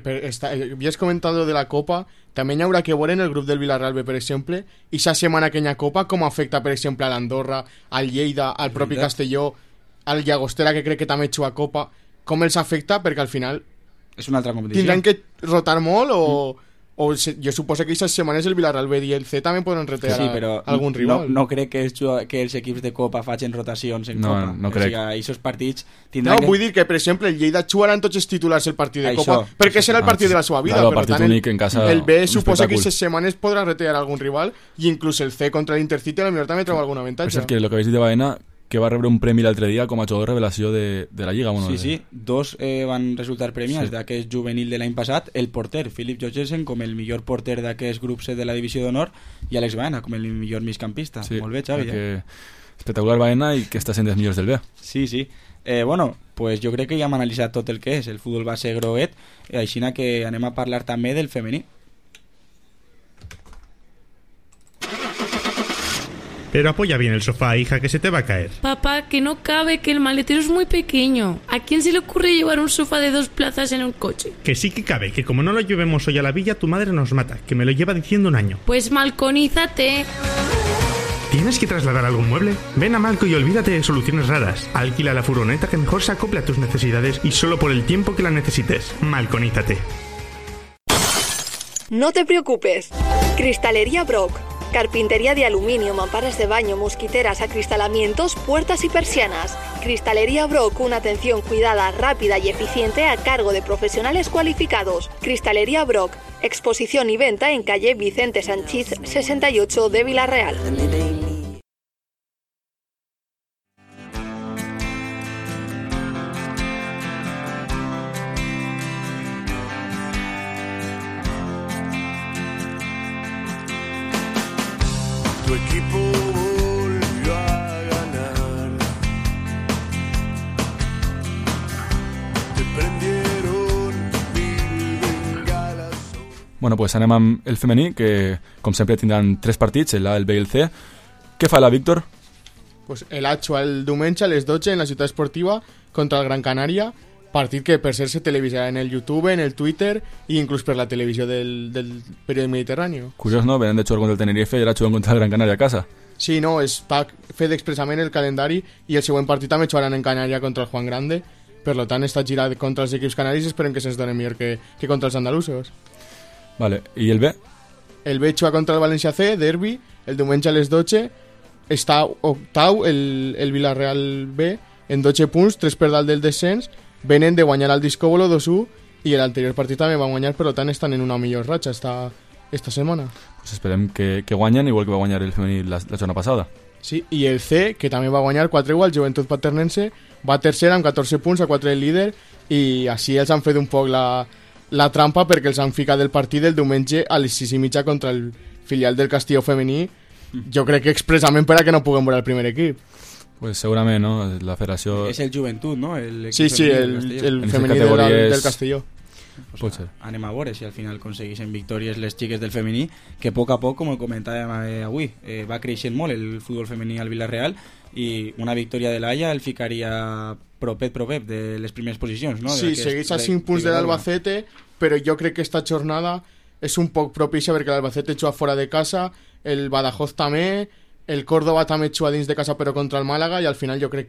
ya has comentado de la Copa, también habrá que ver en el grupo del Villarreal B, por ejemplo, y esa semana que Copa, cómo afecta, por ejemplo, a l'Andorra, al Lleida, al propi Castelló, al Llagostera, que cree que també juga a Copa, com els afecta, perquè al final és una altra competició. Tindran que rotar molt o jo suposo que aquestes setmanes el Villarreal B i el C també poden retirar algun rival. No crec que els equips de Copa facin rotacions en Copa. No crec. O sigui, aquests partits tindran vull dir que, per exemple, el Lleida jugaran tots els titulars el partit de Copa, perquè serà el partit de la seva vida. Claro, partit únic en casa. El B suposa que aquestes setmanes podrà retirar algun rival i inclús el C contra l'Intercity a la millor també troba algun avantatge. Per cert, que el que habéis dit de Baena, que va rebre un premi l'altre dia com a jugador revelació de la Lliga. Bueno, sí, 2 van resultar premiats d'aquest juvenil de l'any passat, el porter, Philip Jorgensen, com el millor porter d'aquest grup C de la divisió d'honor, i Alex Baena com el millor migcampista. Molt bé, Xavi. Espectacular Baena i que està sent dels millors del B. Sí. Pues jo crec que ja hem analitzat tot el que és el futbol base groguet, així que anem a parlar també del femení. Pero apoya bien el sofá, hija, que se te va a caer. Papá, que no cabe, que el maletero es muy pequeño. ¿A quién se le ocurre llevar un sofá de 2 plazas en un coche? Que sí que cabe, que como no lo llevemos hoy a la villa, tu madre nos mata, que me lo lleva diciendo un año. Pues malconízate. ¿Tienes que trasladar algún mueble? Ven a Malco y olvídate de soluciones raras. Alquila la furgoneta que mejor se acople a tus necesidades y solo por el tiempo que la necesites. Malconízate. No te preocupes. Cristalería Brock. Carpintería de aluminio, mamparas de baño, mosquiteras, acristalamientos, puertas y persianas. Cristalería Brock, una atención cuidada, rápida y eficiente a cargo de profesionales cualificados. Cristalería Brock, exposición y venta en calle Vicente Sanchís 68 de Villarreal. Tu equipo volvió a ganar. Te prendieron mil bengalas. Bueno, pues anem amb el femení, que com sempre tindran 3 partits, el A, el B i el C. Què fa la Víctor? Pues el A juga el diumenge a les 12 en la ciutat esportiva contra el Gran Canària, partit que per ser se televisarà en el YouTube, en el Twitter i inclús per la televisió del període mediterrani. Curiós, no? Venen de jugar contra el Tenerife i ara juguen contra el Gran Canària a casa. Sí, no, està fet expressament el calendari i el següent partit també jugaran en Canària contra el Juan Grande, per tant està girat contra els equips canaris i esperem que se'ns donen millor que contra els andalusos. Vale, i el B? El B juga contra el València C, derbi, el diumenge a les 12, està octau el Villarreal B en 12 punts, 3 per dalt del descens, venen de guanyar al Discòbolo 2-1 i l'anterior partit també van guanyar, per tant estan en una millor ratxa esta setmana. Pues esperem que guanyen, igual que va guanyar el femení la jornada passada. Sí, i el C, que també va guanyar 4-1 al Joventut Paternense, va tercer amb 14 punts a 4 del líder i així els han fet un poc la trampa perquè els han ficat el partit del diumenge a les 6:30 contra el filial del Castelló femení, jo crec que expressament per a que no puguem veure el primer equip. Pues segurament, no? La federació... És el Joventut, no? Sí, el femení del Castelló. Pues anem a veure si al final aconsegueixen victòries les xiques del femení, que a poc, com ho comentàvem avui, va creixent molt el futbol femení al Villarreal i una victòria de l'Haia el ficaria propet de les primeres posicions, no? Sí, segueix a 5 punts de l'Albacete, però jo crec que esta jornada és un poc propicia perquè l'Albacete juga fora de casa, el Badajoz també, el Córdoba també juga dins de casa però contra el Màlaga, i al final jo crec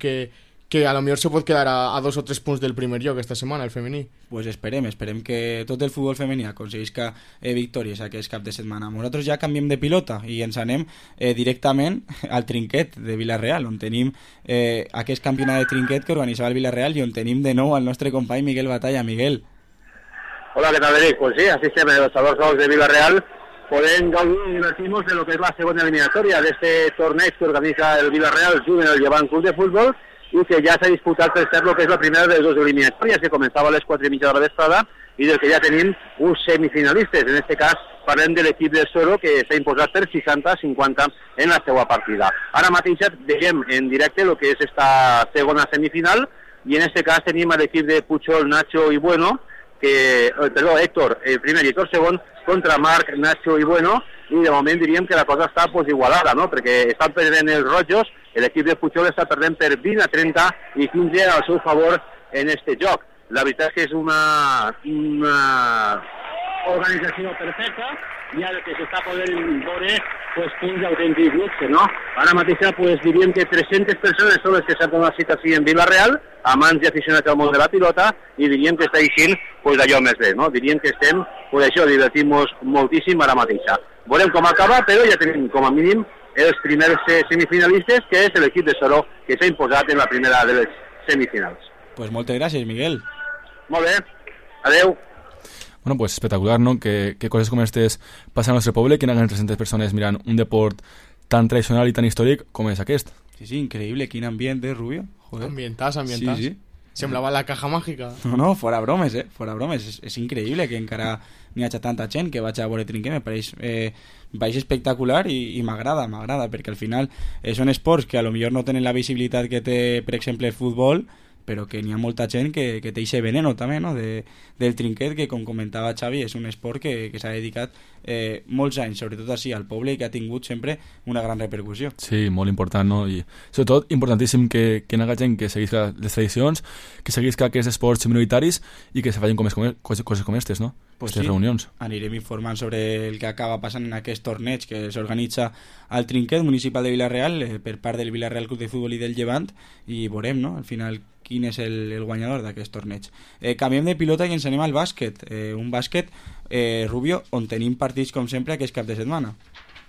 que a lo millor se pot quedar a 2 o 3 punts del primer lloc esta setmana, el femení. Pues esperem que tot el futbol femení aconseguisca victòries aquest cap de setmana. Nosaltres ja canviem de pilota i ens anem directament al trinquet de Vila-real, on tenim aquest campionat de trinquet que organitzava el Vila-real i on tenim de nou al nostre company Miguel Batalla. Miguel. Hola, ¿qué tal, Eric? Pues sí, así se ven los salvados de Vila-real. Pueden gaudir y divertirnos de lo que es la segunda eliminatoria de este torneo que organiza el Vila-real Juvenil Llevant Club de Fútbol, y que ya se ha disputat per cert lo que és la primera de les dues eliminatòries, que començava a les 4:30 de la vesprada, i del que ja tenim uns semifinalistes. En este cas parlem de l'equip del Soro, que s'ha imposat per 60-50 en la seva partida. Ara mateix veiem en directe el que és esta segona semifinal, i en este cas tenim l'equip de Puchol, Nacho i Bueno, Héctor primer i Héctor segon, contra Marc, Nacho i Bueno, i de moment diríem que la cosa està igualada, no? Perquè estan perdent els rojos, l'equip de Puchol està perdent per 20-30 i 15 al seu favor en este joc. La veritat és que és una organització perfecta, i ara que s'està podent veure punts d'autèntic luxe, no? Ara mateix diríem que 300 persones són les que s'han donat cita així en Vila-real, amants i aficionats al món de la pilota, i diríem que està així allò més bé, no? Diríem que estem, això, divertim-nos moltíssim ara mateix. Veurem com acaba, però ja tenim com a mínim els primers semifinalistes, que és l'equip de Soro, que s'ha imposat en la primera de les semifinals. Pues moltes gràcies, Miguel. Molt bé, adeu. Bueno, pues espectacular, ¿no? Que cosas como estas pasan a nuestro poble, que hagan 300 personas miran un deport tan tradicional y tan històric com és aquest. Sí, increïble, quin ambient, Rubio? Joder. Ambientàs. Sí. Semblava la caja màgica. No, fora bromes, fora bromes. És increïble que encara n'hi hagi tanta gent que vaig a veure trinquet. Me pareix espectacular i m'agrada, perquè al final són esports que a lo millor no tenen la visibilitat que té, per exemple, el futbol, però que n'hi ha molta gent que té aquest veneno també, no? del trinquet, que com comentava Xavi és un esport que s'ha dedicat molts anys, sobretot així al poble, i que ha tingut sempre una gran repercussió. Sí, molt important, no? I sobretot importantíssim que hi hagi gent que seguisca les tradicions, que seguisca aquests esports minoritaris i que se facin coses com aquestes, no? Pues aquestes reunions. Anirem informant sobre el que acaba passant en aquest torneig que s'organitza al trinquet municipal de Vila-real per part del Vila-real Club de Futbol i del Llevant, i veurem, no?, al final quin és el guanyador d'aquest torneig. Canviem de pilota i ens anem al bàsquet. Un bàsquet, Rubio, on tenim partits com sempre aquest cap de setmana.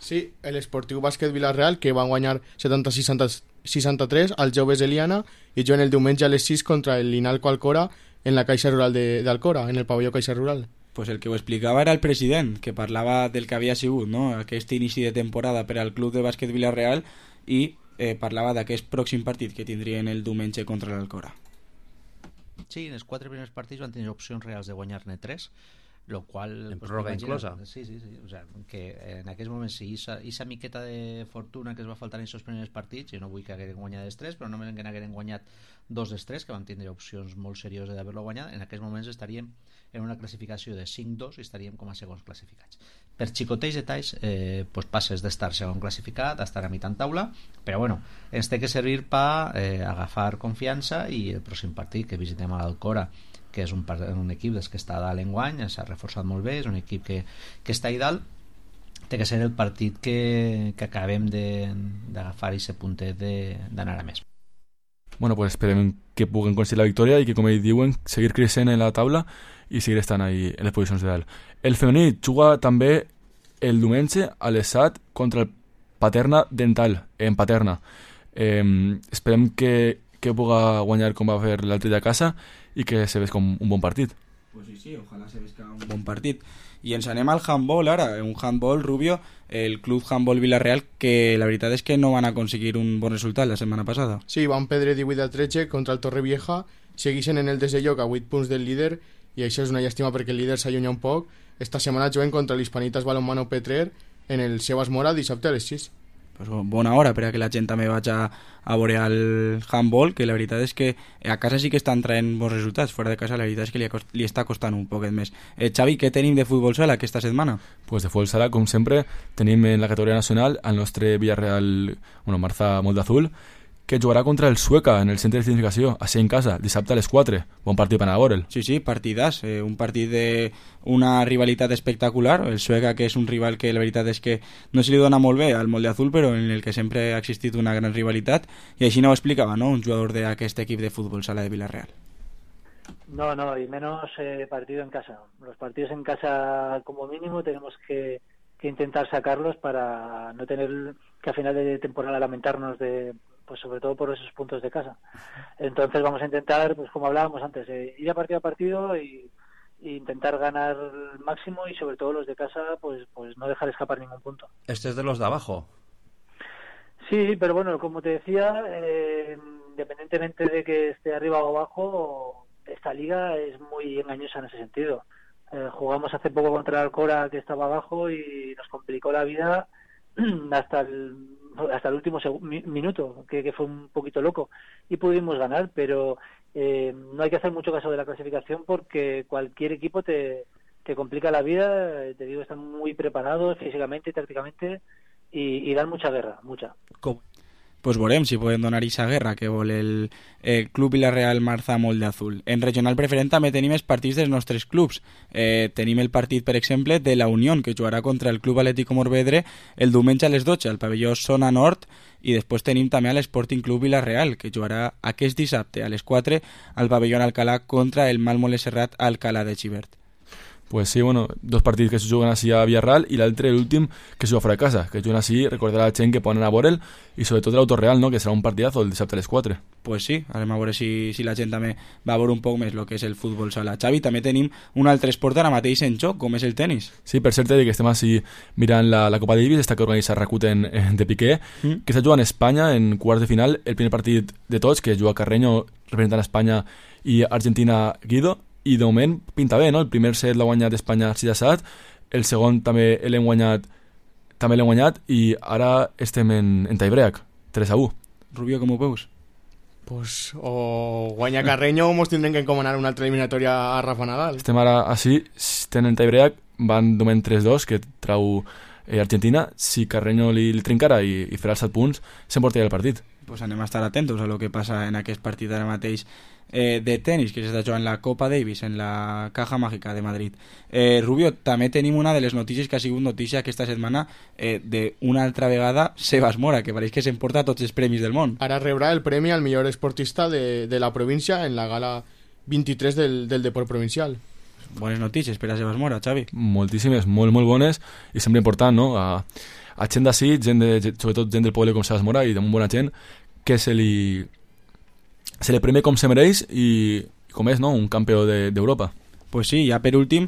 Sí, l'Esportiu Bàsquet Vila-real, que va guanyar 70-63 als joves Eliana, i juguen el diumenge a les 6 contra el Linalco Alcora en la Caixa Rural d'Alcora, en el pavelló Caixa Rural. Pues el que ho explicava era el president, que parlava del que havia sigut, no?, aquest inici de temporada per al Club de Bàsquet Vila-real, i parlava d'aquest pròxim partit que tindrien el diumenge contra l'Alcora. Sí, en els 4 primers partits van tenir opcions reals de guanyar-ne 3, lo qual... En pròrroga inclosa. Sí. O sea, que en aquests moments, si aquesta miqueta de fortuna que es va faltar en aquests primers partits, jo no vull que hagueren guanyat els 3, però només que n'hagueren guanyat 2 dels 3, que van tindre opcions molt serioses d'haver-lo guanyat, en aquests moments estaríem en una classificació de 5-2 i estaríem com a segons classificats. Per xicoteix detalls, passes d'estar segon classificat a estar a mitjan taula, però bueno, ens té que servir per agafar confiança, i el pròxim partit que visitem a l'Alcora, que és un equip que està a dalt enguany, s'ha reforçat molt bé, és un equip que està a dalt, té que ser el partit que acabem d'agafar aquest puntet d'anar a més. Bueno, pues esperem que puguen aconseguir la victòria i que, com ells diuen, seguir creixent en la taula i seguir estant ahí en les posicions de dalt. El femení juga també el diumenge a les 7 contra el Paterna Dental, en Paterna. Esperem que puga guanyar com va fer l'altre dia a casa i que se ves com un bon partit. Pues sí, ojalà se vesca un bon partit. I ens anem al handball ara, un handball, Rubio, el Club Handball Vila-real, que la veritat és que no van aconseguir un bon resultat la setmana passada. Sí, van perdre 18-13 contra el Torrevieja, segueixen en el desè lloc a 8 punts del líder, i això és una llàstima perquè el líder s'allunya un poc. Esta setmana juguen contra l'Hispanitas Balonmano Petrer en el seu Esmora dissabte a les 6. Pues bona hora per a que la gent també vagi a veure el handball, que la veritat és que a casa sí que estan traient bons resultats, fora de casa la veritat és que li està costant un poquet més. Xavi, què tenim de futbol sala aquesta setmana? Pues de futbol sala, com sempre, tenim en la categoria nacional el nostre Villarreal, Marza Moldazul, que jugarà contra el Sueca en el centre de significació, així en casa, dissabte a les 4. Bon partit per anar a veure'l. Sí, partidàs. Un partit d'una rivalitat espectacular. El Sueca, que és un rival que la veritat és que no se li dona molt bé al molde azul, però en el que sempre ha existit una gran rivalitat, i així no ho explicava, ¿no?, un jugador d'aquest equip de fútbol sala de Villarreal. No, y menos partido en casa. Los partidos en casa, como mínimo, tenemos que intentar sacarlos para no tener que a final de temporada lamentarnos pues sobre todo por esos puntos de casa. Entonces vamos a intentar, pues como hablábamos antes, ir a partido y intentar ganar el máximo, y sobre todo los de casa, pues no dejar escapar ningún punto. Este es de los de abajo. Sí, pero bueno, como te decía, independientemente de que esté arriba o abajo, esta liga es muy engañosa en ese sentido. Jugamos hace poco contra el Alcora, que estaba abajo, y nos complicó la vida hasta el último minuto, que fue un poquito loco, y pudimos ganar, pero no hay que hacer mucho caso de la clasificación, porque cualquier equipo te complica la vida. Te digo, están muy preparados físicamente y tácticamente, y dan mucha guerra, mucha. Pues veurem si podem donar aquesta guerra que vol el Club Villarreal Marza Molde Azul. En regional preferent també tenim els partits dels nostres clubs. Tenim el partit, per exemple, de la Unión, que jugarà contra el Club Atlético Morvedre el diumenge a les 12 al pavelló Zona Nord, i després tenim també a l'Sporting Club Villarreal, que jugarà aquest dissabte a les 4 al pavelló Alcalá contra el Malmole Serrat Alcalá de Xivert. Pues sí, bueno, dos partits que se juguen així a Villarreal i l'altre, l'últim, que se juga fora de casa, que juguen així, recordar a la gent que poden anar a veure'l, i sobretot l'Autoreal, no?, que serà un partidazo el dissabte a les 4. Pues sí, anem a veure si la gent també va a veure un poc més el que és el futbol sala. Xavi, també tenim un altre esport ara mateix en joc, com és el tenis. Sí, per cert, que estem així mirant la Copa Davis, esta que organitza Rakuten de Piqué, que està jugant a Espanya en quarts de final, el primer partit de tots, que juga Carreño representant a Espanya i Argentina Guido, i de moment pinta bé, no? El primer set l'ha guanyat Espanya 6-7, el segon també l'hem guanyat, i ara estem en tiebreak, 3-1. Rubio, com ho veus? Pues o guanya Carreño o mos tindrem que encomanar una altra eliminatòria a Rafa Nadal. Estem ara així, tenen tiebreak, van de moment 3-2, que trau Argentina. Si Carreño li trincara i farà els 7 punts, s'emportaria el partit. Pues anem a estar atentos a lo que passa en aquest partit ara mateix de tenis, que s'està jugant la Copa Davis en la Caja Mágica de Madrid. Rubio, també tenim una de les notícies que ha sigut notícia aquesta setmana, d'una altra vegada Sebas Mora, que pareix que s'emporta tots els premis del món. Ara rebrà el premi al millor esportista de la província en la gala 23 del Deport Provincial. Bones notícies per a Sebas Mora, Xavi. Moltíssimes, molt bones, i sempre important, no?, a gent d'ací, sobretot gent del poble com Sebas Mora, i de molt bona gent, que se li premia com se mereix, i com és, no?, un campió d'Europa. Pues sí, ja per últim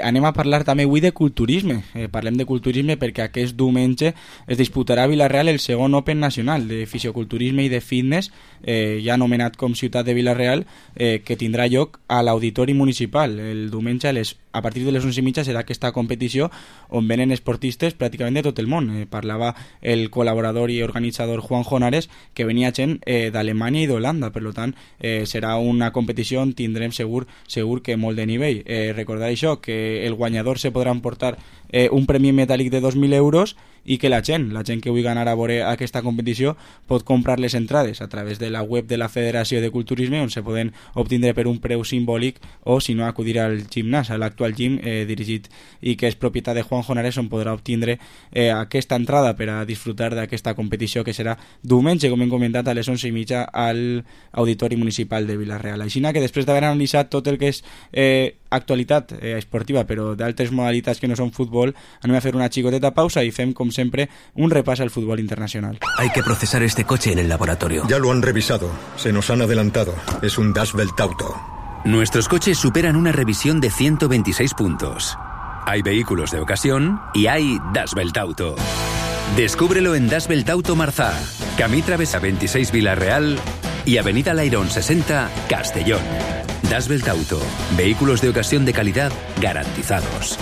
anem a parlar també avui de culturisme. Parlem de culturisme perquè aquest diumenge es disputarà a Villarreal el segon Open Nacional de Fisioculturisme i de Fitness, ja anomenat com Ciutat de Villarreal, que tindrà lloc a l'Auditori Municipal. El diumenge a partir de les 11:30 serà aquesta competició on venen esportistes pràcticament de tot el món. Parlava el col·laborador i organitzador Juan Jonares, que venia gent d'Alemanya i d'Holanda, per tant serà una competició on tindrem segur que molt de nivell. Recordar això, que el guanyador se podrà emportar un premi metàl·lic de 2.000 euros, i que la gent que vulgui anar a veure aquesta competició pot comprar les entrades a través de la web de la Federació de Culturisme, on se poden obtindre per un preu simbòlic, o si no acudir al gimnàs, a l'actual gym dirigit i que és propietat de Juan Jonares, on podrà obtindre aquesta entrada per a disfrutar d'aquesta competició, que serà diumenge, com hem comentat, a les 11:30 al Auditori Municipal de Villarreal. Així que després d'haver analitzat tot el que és actualitat esportiva, però d'altres modalitats que no són futbol, anem a fer una xicoteta pausa i fem, com siempre, un repàs al fútbol internacional. Hay que procesar este coche en el laboratorio. Ya lo han revisado. Se nos han adelantado. Es un Das Welt Auto. Nuestros coches superan una revisión de 126 puntos. Hay vehículos de ocasión y hay Das Welt Auto. Descúbrelo en Das Welt Auto Marzá, Camí Travesa 26 Villarreal y Avenida Lairón 60 Castellón. Das Welt Auto. Vehículos de ocasión de calidad garantizados.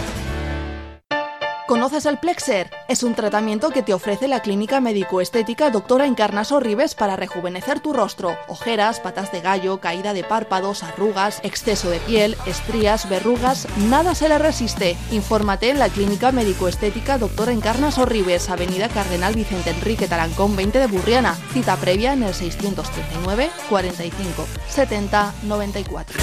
¿Conoces el Plexer? Es un tratamiento que te ofrece la clínica médico-estética Doctora Encarnaso Ribes para rejuvenecer tu rostro. Ojeras, patas de gallo, caída de párpados, arrugas, exceso de piel, estrías, verrugas, nada se le resiste. Infórmate en la clínica médico-estética Doctora Encarnaso Ribes, Avenida Cardenal Vicente Enrique Tarancón 20 de Burriana. Cita previa en el 639 45 70 94.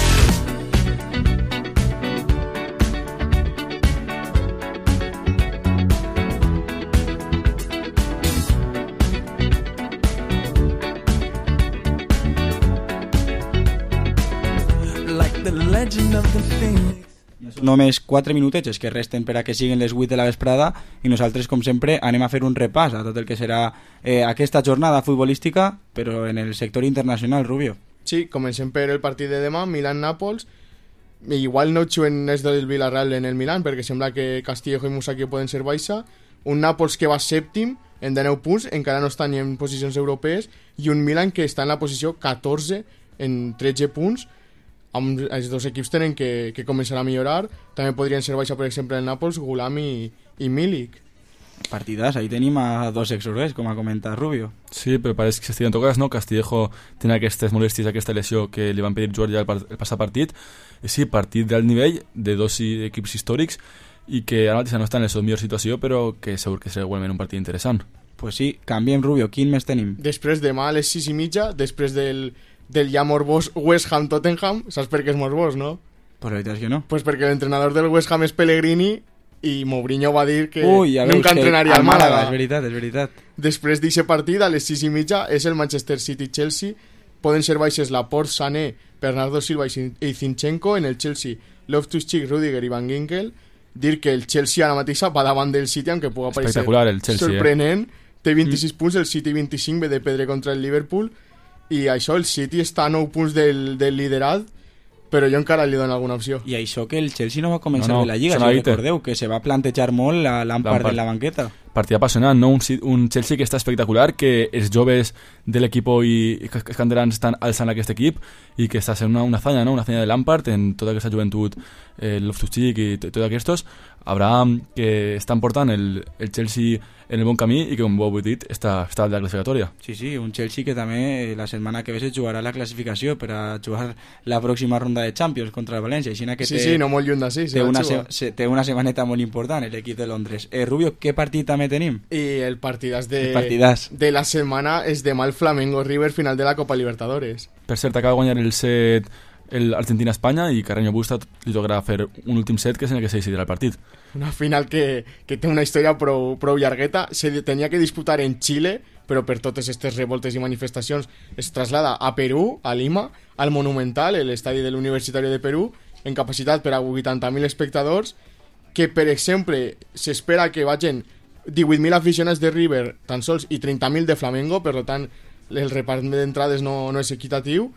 Només 4 minutets que resten per a que siguin les 8 de la vesprada i nosaltres, com sempre, anem a fer un repàs a tot el que serà aquesta jornada futbolística, però en el sector internacional, Rubio. Sí, comencem per el partit de demà, Milan-Nàpols. Igual no juguen els del Villarreal en el Milan, perquè sembla que Castillejo i Musacchio poden ser baixa. Un Nàpols que va sèptim, en 19 punts, encara no està ni en posicions europees, i un Milan que està en la posició 14, en 13 punts. Els dos equips tenen que començar a millorar. També podrien ser baixa, per exemple, el Nàpols, Gulam i Milik. Partidas, ahí tenim a dos exorgues, com ha comentat Rubio. Sí, però pareix que s'estiguen tocats, no? Castillejo tenia aquestes molèsties, aquesta lesió que li van pedir jugar ja el passat partit. I sí, partit d'alt nivell, de dos equips històrics, i que ara mateix no estan en la seva millor situació, però que segur que serà igualment un partit interessant. Pues sí, canviem, Rubio. Quin més tenim? Després demà a les 6:30, després del ja morbós West Ham-Tottenham. Saps per què és morbós, no? Pues la veritat és que no. Pues perquè l'entrenador del West Ham és Pellegrini i Mourinho va dir que nunca entrenaria al Màlaga. És veritat. Després d'aquest partit, a les 6:30, és el Manchester City-Chelsea. Poden ser baixes Laporte, Sané, Bernardo Silva i Zinchenko. En el Chelsea, Loftus-Cheek, Rüdiger i Van Ginkel. Dir que el Chelsea ara mateixa va davant del City, aunque puga parecer sorprenent. Té 26 punts, el City 25, ve de perdre contra el Liverpool. I això, el City està a 9 punts del liderat, però jo encara li dono alguna opció. I això que el Chelsea no va començar bé la Lliga, si recordeu, que se va plantejar molt la Lampard en la banqueta. Partit apassionant, no? Un Chelsea que està espectacular, que els joves de l'equip i els canterans estan alçant aquest equip i que està sent una hazaña, no? Una hazaña de Lampard en tota aquesta joventut, el Loftus-Cheek i tots aquests. Abraham, que estan portant el Chelsea en el bon camí i que, com ho heu dit, està a la classificatòria. Sí, un Chelsea que també la setmana que ve se jugarà la classificació per a jugar la pròxima ronda de Champions contra el València. Sí, no molt lluny d'ací. Té una setmaneta molt important l'equip de Londres. Rubio, què partit també tenim? I el partidàs de la setmana és demà el Flamengo River, final de la Copa Libertadores. Per cert, acaba de guanyar el set l'Argentina-Espanya i Carreño Busta li tocarà fer un últim set que és en el que se decidirà el partit. Una final que té una història prou llargueta. Se tenia que disputar en Xile, però per totes aquestes revoltes i manifestacions es traslada a Perú, a Lima, al Monumental, l'estadi de l'Universitari de Perú, en capacitat per a 80.000 espectadors, que per exemple s'espera que vagin 18.000 aficionats de River tan sols i 30.000 de Flamengo, per tant el repart d'entrades no és equitatiu.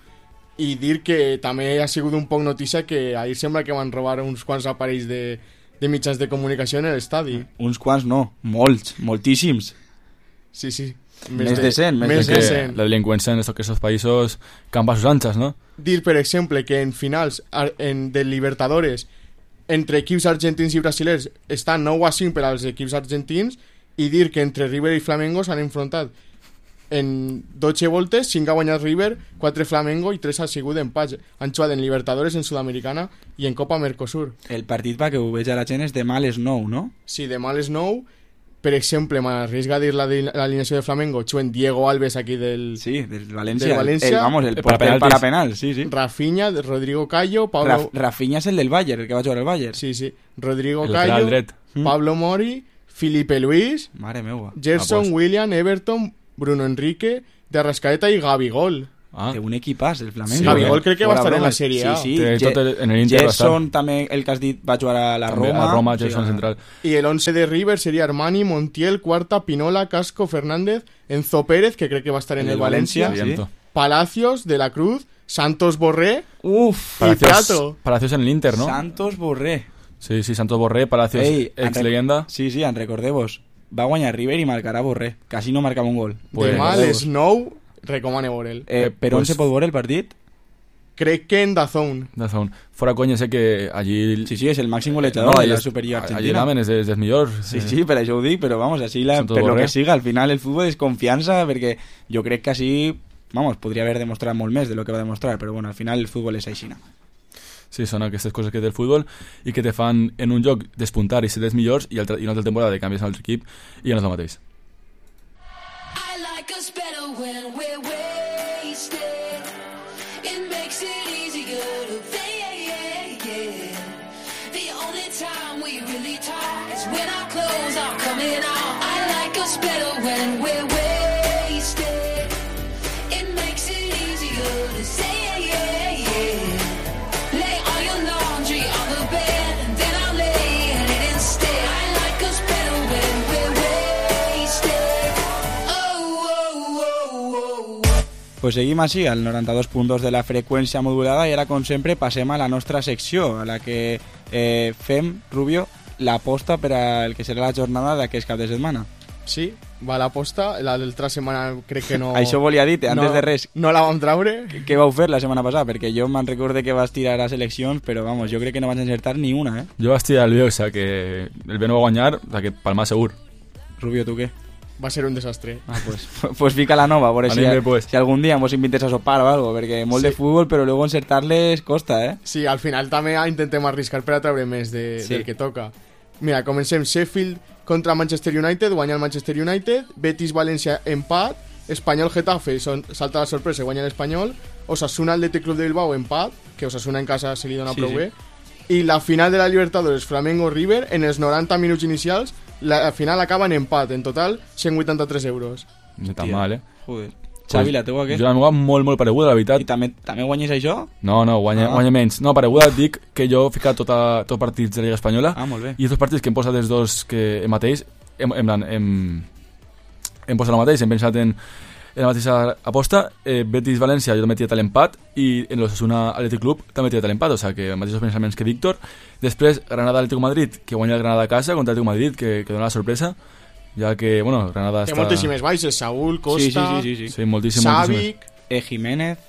I dir que també ha sigut un poc notícia que ahir sembla que van robar uns quants aparells de mitjans de comunicació en l'estadi. Uns quants no, moltíssims. Sí. Més de 100. La delinqüència en aquests països campa a sus anchas, no? Dir, per exemple, que en finals de Libertadores entre equips argentins i brasilers està 9-5 per als equips argentins, i dir que entre River i Flamengo s'han enfrontat en 12 voltes, 5 ha guanyat River, 4 Flamengo i 3 ha sigut empats. Han jugat en Libertadores, en Sudamericana i en Copa Mercosur. El partit, perquè ho veig a la gent, és demà a les 9, no? Sí, demà a les 9. Per exemple, m'arrisca a dir l'alineació de Flamengo, juguen Diego Alves aquí del València. El parapenal, sí. Rafinha, Rodrigo Cayo, Pablo... Rafinha és el del Bayern, el que va jugar al Bayern. Sí. Rodrigo Cayo, Pablo Mori, Felipe Luis, mare meua, Gerson, William, Everton, Bruno Enrique, de Arrascaeta i Gabigol. Té un equipàs, el Flamengo. Gabigol crec que va estar en la Sèrie A. Sí. Gerson també, el que has dit, va jugar a la Roma. A Roma, Gerson central. I el 11 de River seria Armani, Montiel, Cuarta, Pinola, Casco, Fernández, Enzo Pérez, que crec que va estar en el València, Palacios, De la Cruz, Santos Borré y Prato. Palacios en el Inter, ¿no? Santos Borré. Sí, Santos Borré, Palacios, ex-leyenda. Sí, recordeu-vos. Va guanyar River i marcarà Borré. Quasi no marcava un gol. Demà a les 9 recomane veure'l. Per on se pot veure el partit? Crec que en DAZN. Fora conya, sé que allí... Sí, és el màxim golejador de la Superliga Argentina. Allí namen és dels millors. Sí, per això ho dic, però vamos, així per lo que siga, al final el futbol és confiança, perquè jo crec que així, vamos, podria haver demostrat molt més de lo que va demostrar, però bueno, al final el futbol és així. Sí, són aquestes coses que té el futbol i que te fan en un joc despuntar i ser dels millors i una altra temporada de canvies a l'altre equip i ja no és el mateix. I like us better when we're wasted. It makes it easier to fade. The only time we really talk is when our clothes are coming off. I like us better when we're wasted. It makes it easier to say. Lay all your laundry on the bed and then I'll lay in it instead. I like us better when we're wasted. Oh, oh, oh, oh. Pues seguim així, al 92.2 de la freqüència modulada, i ara, com sempre, passem a la nostra secció, a la que fem, Rubio, l'aposta per al que serà la jornada d'aquest cap de setmana. Sí, va l'aposta, l'altra setmana crec que no... Això volia dir, antes de res. No la vam traure. Què vau fer la setmana passada? Perquè jo me'n recorde que vas tirar a seleccions, però vamos, jo crec que no vaig encertar ni una, eh? Jo vaig tirar el Bielsa, que el B no va guanyar, o sea, que palmar segur. Rubio, tu què? Va ser un desastre. Ah, pues fica la nova, a veure si algun dia mos invites a sopar o algo, perquè molt de futbol, però luego encertar-les costa, eh? Sí, al final també intentem arriscar per a treure més del que toca. Mira, comencem. Sheffield contra Manchester United, guanya el Manchester United. Betis-València, empat. Espanyol-Getafe, salta la sorpresa, guanya l'Espanyol. Osasuna, Athletic Club de Bilbao, empat, que Osasuna en casa se li dona prou bé. I la final de la Libertadores, Flamengo-River, en els 90 minuts inicials, la final acaba en empat. En total, 183 euros. No tan mal, eh? Joder. Xavi, la teua què? Jo la meva molt pareguda, la veritat. I també guanyes això? No, guanya menys. No, pareguda et dic que jo he ficat tots partits de la Lliga Espanyola. Ah, molt bé. I els partits que hem posat els dos que mateix hem posat el mateix, hem pensat en la mateixa aposta. Betis-València jo també he tirat l'empat i en l'Osasuna Athletic Club també he tirat l'empat, o sigui que mateixos pensaments que Víctor. Després Granada-Atlético Madrid, que guanya el Granada a casa contra l'Atlético Madrid, que dona la sorpresa, ja que, bueno, Granada té està... moltíssimes baixes, Saúl, Costa, sí, moltíssim, Savic, Jiménez...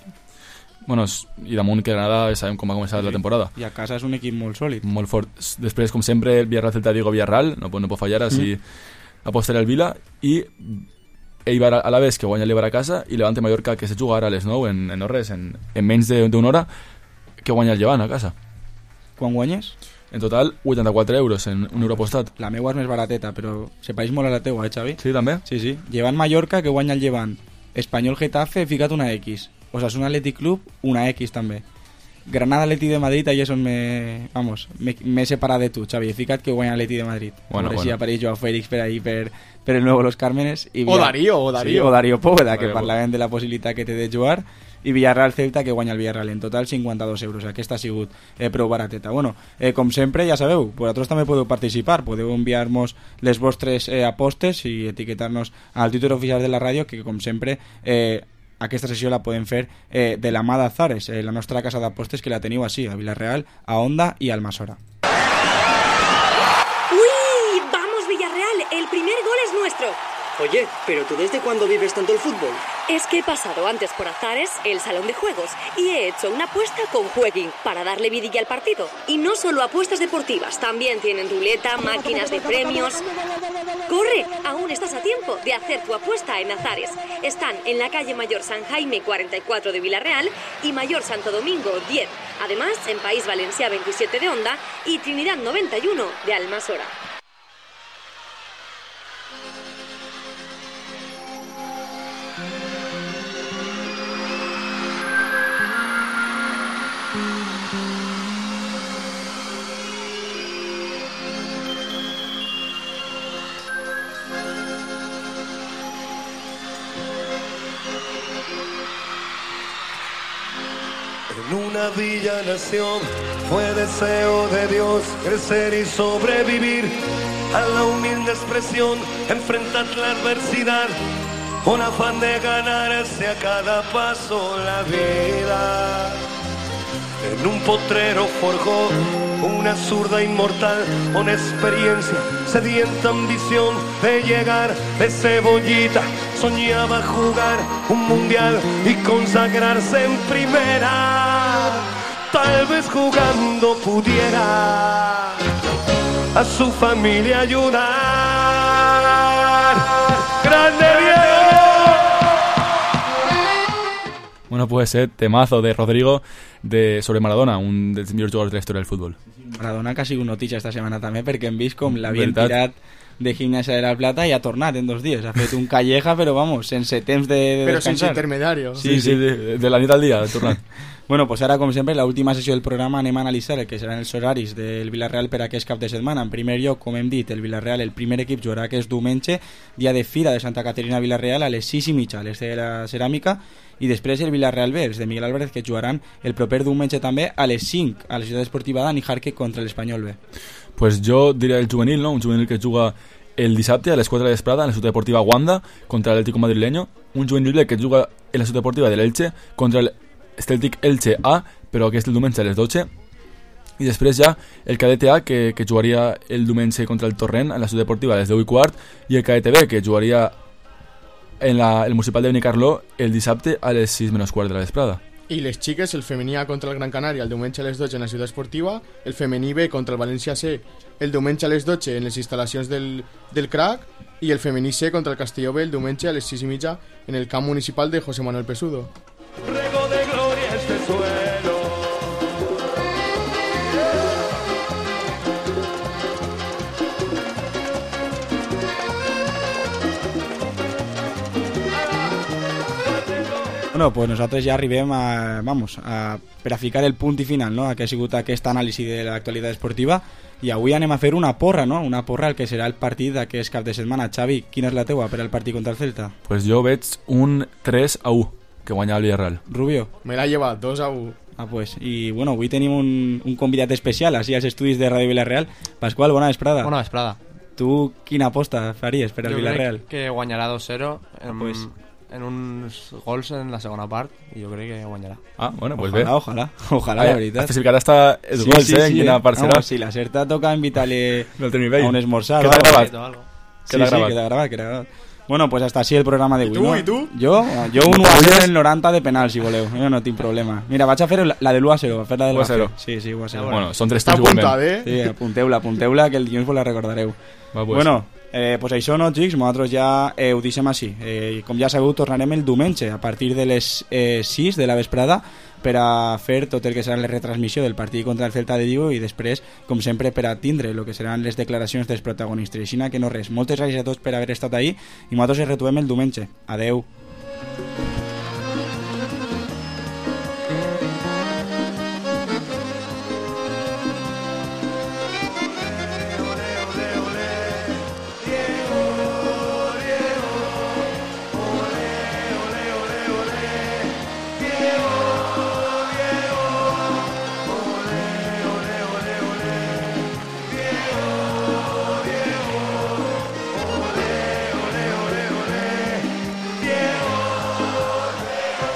Bueno, i damunt que Granada sabem com va començar la temporada. I a casa és un equip molt sòlid. Molt fort. Després, com sempre, el Villarreal, Celta Vigo, Villarreal, no pot fallar, així apostaré al Vila, i Eibar a la vez, que guanya l'Eibar a casa, i Levante Mallorca, que se jugarà a les 9 en no res, en menys d'una hora, que guanya el Llevant a casa. Quan guanyes? En total, 84 euros en un euro apostat. La meua és més barateta, però se pareix molt a la teua, Xavi? Sí, també? Sí. Llevant Mallorca, que guanya el Llevant. Espanyol Getafe, he ficat una X. Osasuna Athletic Club, una X també. Granada Atleti de Madrid, ahí és on m'he separat de tu, Xavi. He ficat que guanya Atleti de Madrid. Bueno. Si apareix Joao Félix per ahí, per el nuevo Los Cármenes. O Darío. Sí, o Darío Póveda, que parlaven de la possibilitat que té de jugar. I Villarreal Celta, que guanya el Villarreal. En total 52 euros. Aquesta ha sigut prou barateta. Bueno, com sempre, ja sabeu, vosaltres també podeu participar. Podeu enviar-nos les vostres apostes i etiquetar-nos al Twitter oficial de la ràdio, que com sempre... aquesta sessió la podem fer de la mà d'Azares, la nostra casa d'apostes, que la teniu així, a Villarreal, a Onda i a Almassora. ¡Uy! ¡Vamos, Villarreal! El primer gol es nuestro. Oye, ¿pero tú desde cuándo vives tanto el fútbol? Es que he pasado antes por Azares, el salón de juegos, y he hecho una apuesta con Jueguin para darle vidilla al partido. Y no solo apuestas deportivas, también tienen ruleta, máquinas de premios... ¡Corre! Aún estás a tiempo de hacer tu apuesta en Azares. Están en la calle Mayor San Jaime 44 de Villarreal y Mayor Santo Domingo 10. Además, en País Valencia 27 de Onda y Trinidad 91 de Almassora. En una villa nación fue deseo de Dios crecer y sobrevivir a la humilde expresión, enfrentar la adversidad, con afán de ganarse a cada paso la vida. En un potrero forjó una zurda inmortal, con experiencia, sedienta ambición de llegar de cebollita. Soñaba jugar un mundial y consagrarse en primera. tal vez jugando pudiera a su familia ayudar. ¡Grande Diego! Bueno, pues temazo de Rodrigo sobre Maradona, un dels millors jugadors de la història del futbol. Maradona que ha sigut notícia esta setmana també, perquè hem vist com l'havien tirat de Gimnasia de la Plata i ha tornat en 2 dies. Ha fet un calleja, però vamos, sense temps de però descansar. sense intermediario. Sí, de la nit al dia, ha tornat. Bueno, pues ara, com sempre, l'última sessió del programa anem a analitzar el que seran els horaris del Villarreal per aquest cap de setmana. En primer lloc, com hem dit, el Villarreal, el primer equip jugarà aquest diumenge, dia de Fira de Santa Caterina Villarreal, a les 6:30, a l'est de la Ceràmica, i després el Villarreal B, els de Miguel Álvarez, que jugaran el proper diumenge també a les 5, a la ciutat esportiva Dani Jarque contra l'Espanyol B. Pues jo diria el juvenil, no? Un juvenil que juga el dissabte a les 4 de la vesprada en la ciutat deportiva Wanda contra l'Atlético madrileño, un juvenil B que juga en la ciutat deportiva de l'Elche contra el Celtic Elche A, però aquest el diumenge a les 12, i després ja el cadet A que jugaria el diumenge contra el Torrent en la ciutat deportiva a les 10:15, i el cadet B que jugaria en el municipal de Benicarló el dissabte a les 6:15 de la vesprada. I les xiques, el femení A contra el Gran Canària el diumenge a les 12 en la ciutat esportiva, el femení B contra el València C el diumenge a les 12 en les instal·lacions del CRAC, i el femení C contra el Castelló B el diumenge a les 6:30 en el camp municipal de José Manuel Pesudo. Rego de gloria este suelo. Bueno, pues nosaltres ja arribem per a ficar el punt i final, no?, a que ha sigut aquest anàlisi de l'actualitat esportiva, i avui anem a fer una porra, no?, una porra al que serà el partit d'aquest cap de setmana. Xavi, quina és la teua per al partit contra el Celta? Pues jo veig un 3-1 que guanya el Villarreal. Rubio? Me l'ha llevat, 2-1. Ah, pues, i bueno, avui tenim un convidat especial així als estudis de Ràdio Villarreal. Pasqual, bona vesprada. Bona vesprada. Tu quina aposta faries per al Villarreal? Jo crec que guanyarà 2-0 pues en uns gols en la segona part, i jo crec que guanyarà. Ah, bueno, pues ojalà, la veritat. Has especificat hasta els gols, en quina part serà. Si la Certa toca invitar-le a un esmorzar. Queda gravat. Queda gravat. Bueno, pues hasta así el programa d'avui, no? I tu? Jo un 1-0 en el 90 de penal, si voleu. Jo no tinc problema. Mira, vaig a fer la de l'1-0, a fer la del 1-0. Sí, 1-0. Bueno, són 3 Està apuntat, Sí, apunteu-la, que el dilluns vos la recordareu. Bueno, pues això, no, xics, nosaltres ja ho deixem així. Com ja sabeu, tornarem el diumenge a partir de les 6 de la vesprada per a fer tot el que serà la retransmissió del partit contra el Celta de Vigo, i després, com sempre, per a tindre el que seran les declaracions dels protagonistes. Així que no res, moltes gràcies a tots per haver estat ahí, i nosaltres ens retrobem el diumenge. Adeu.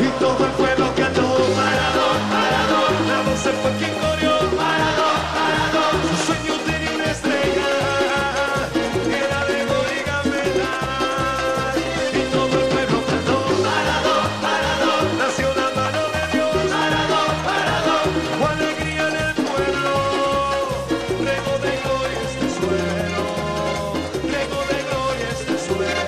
Y todo el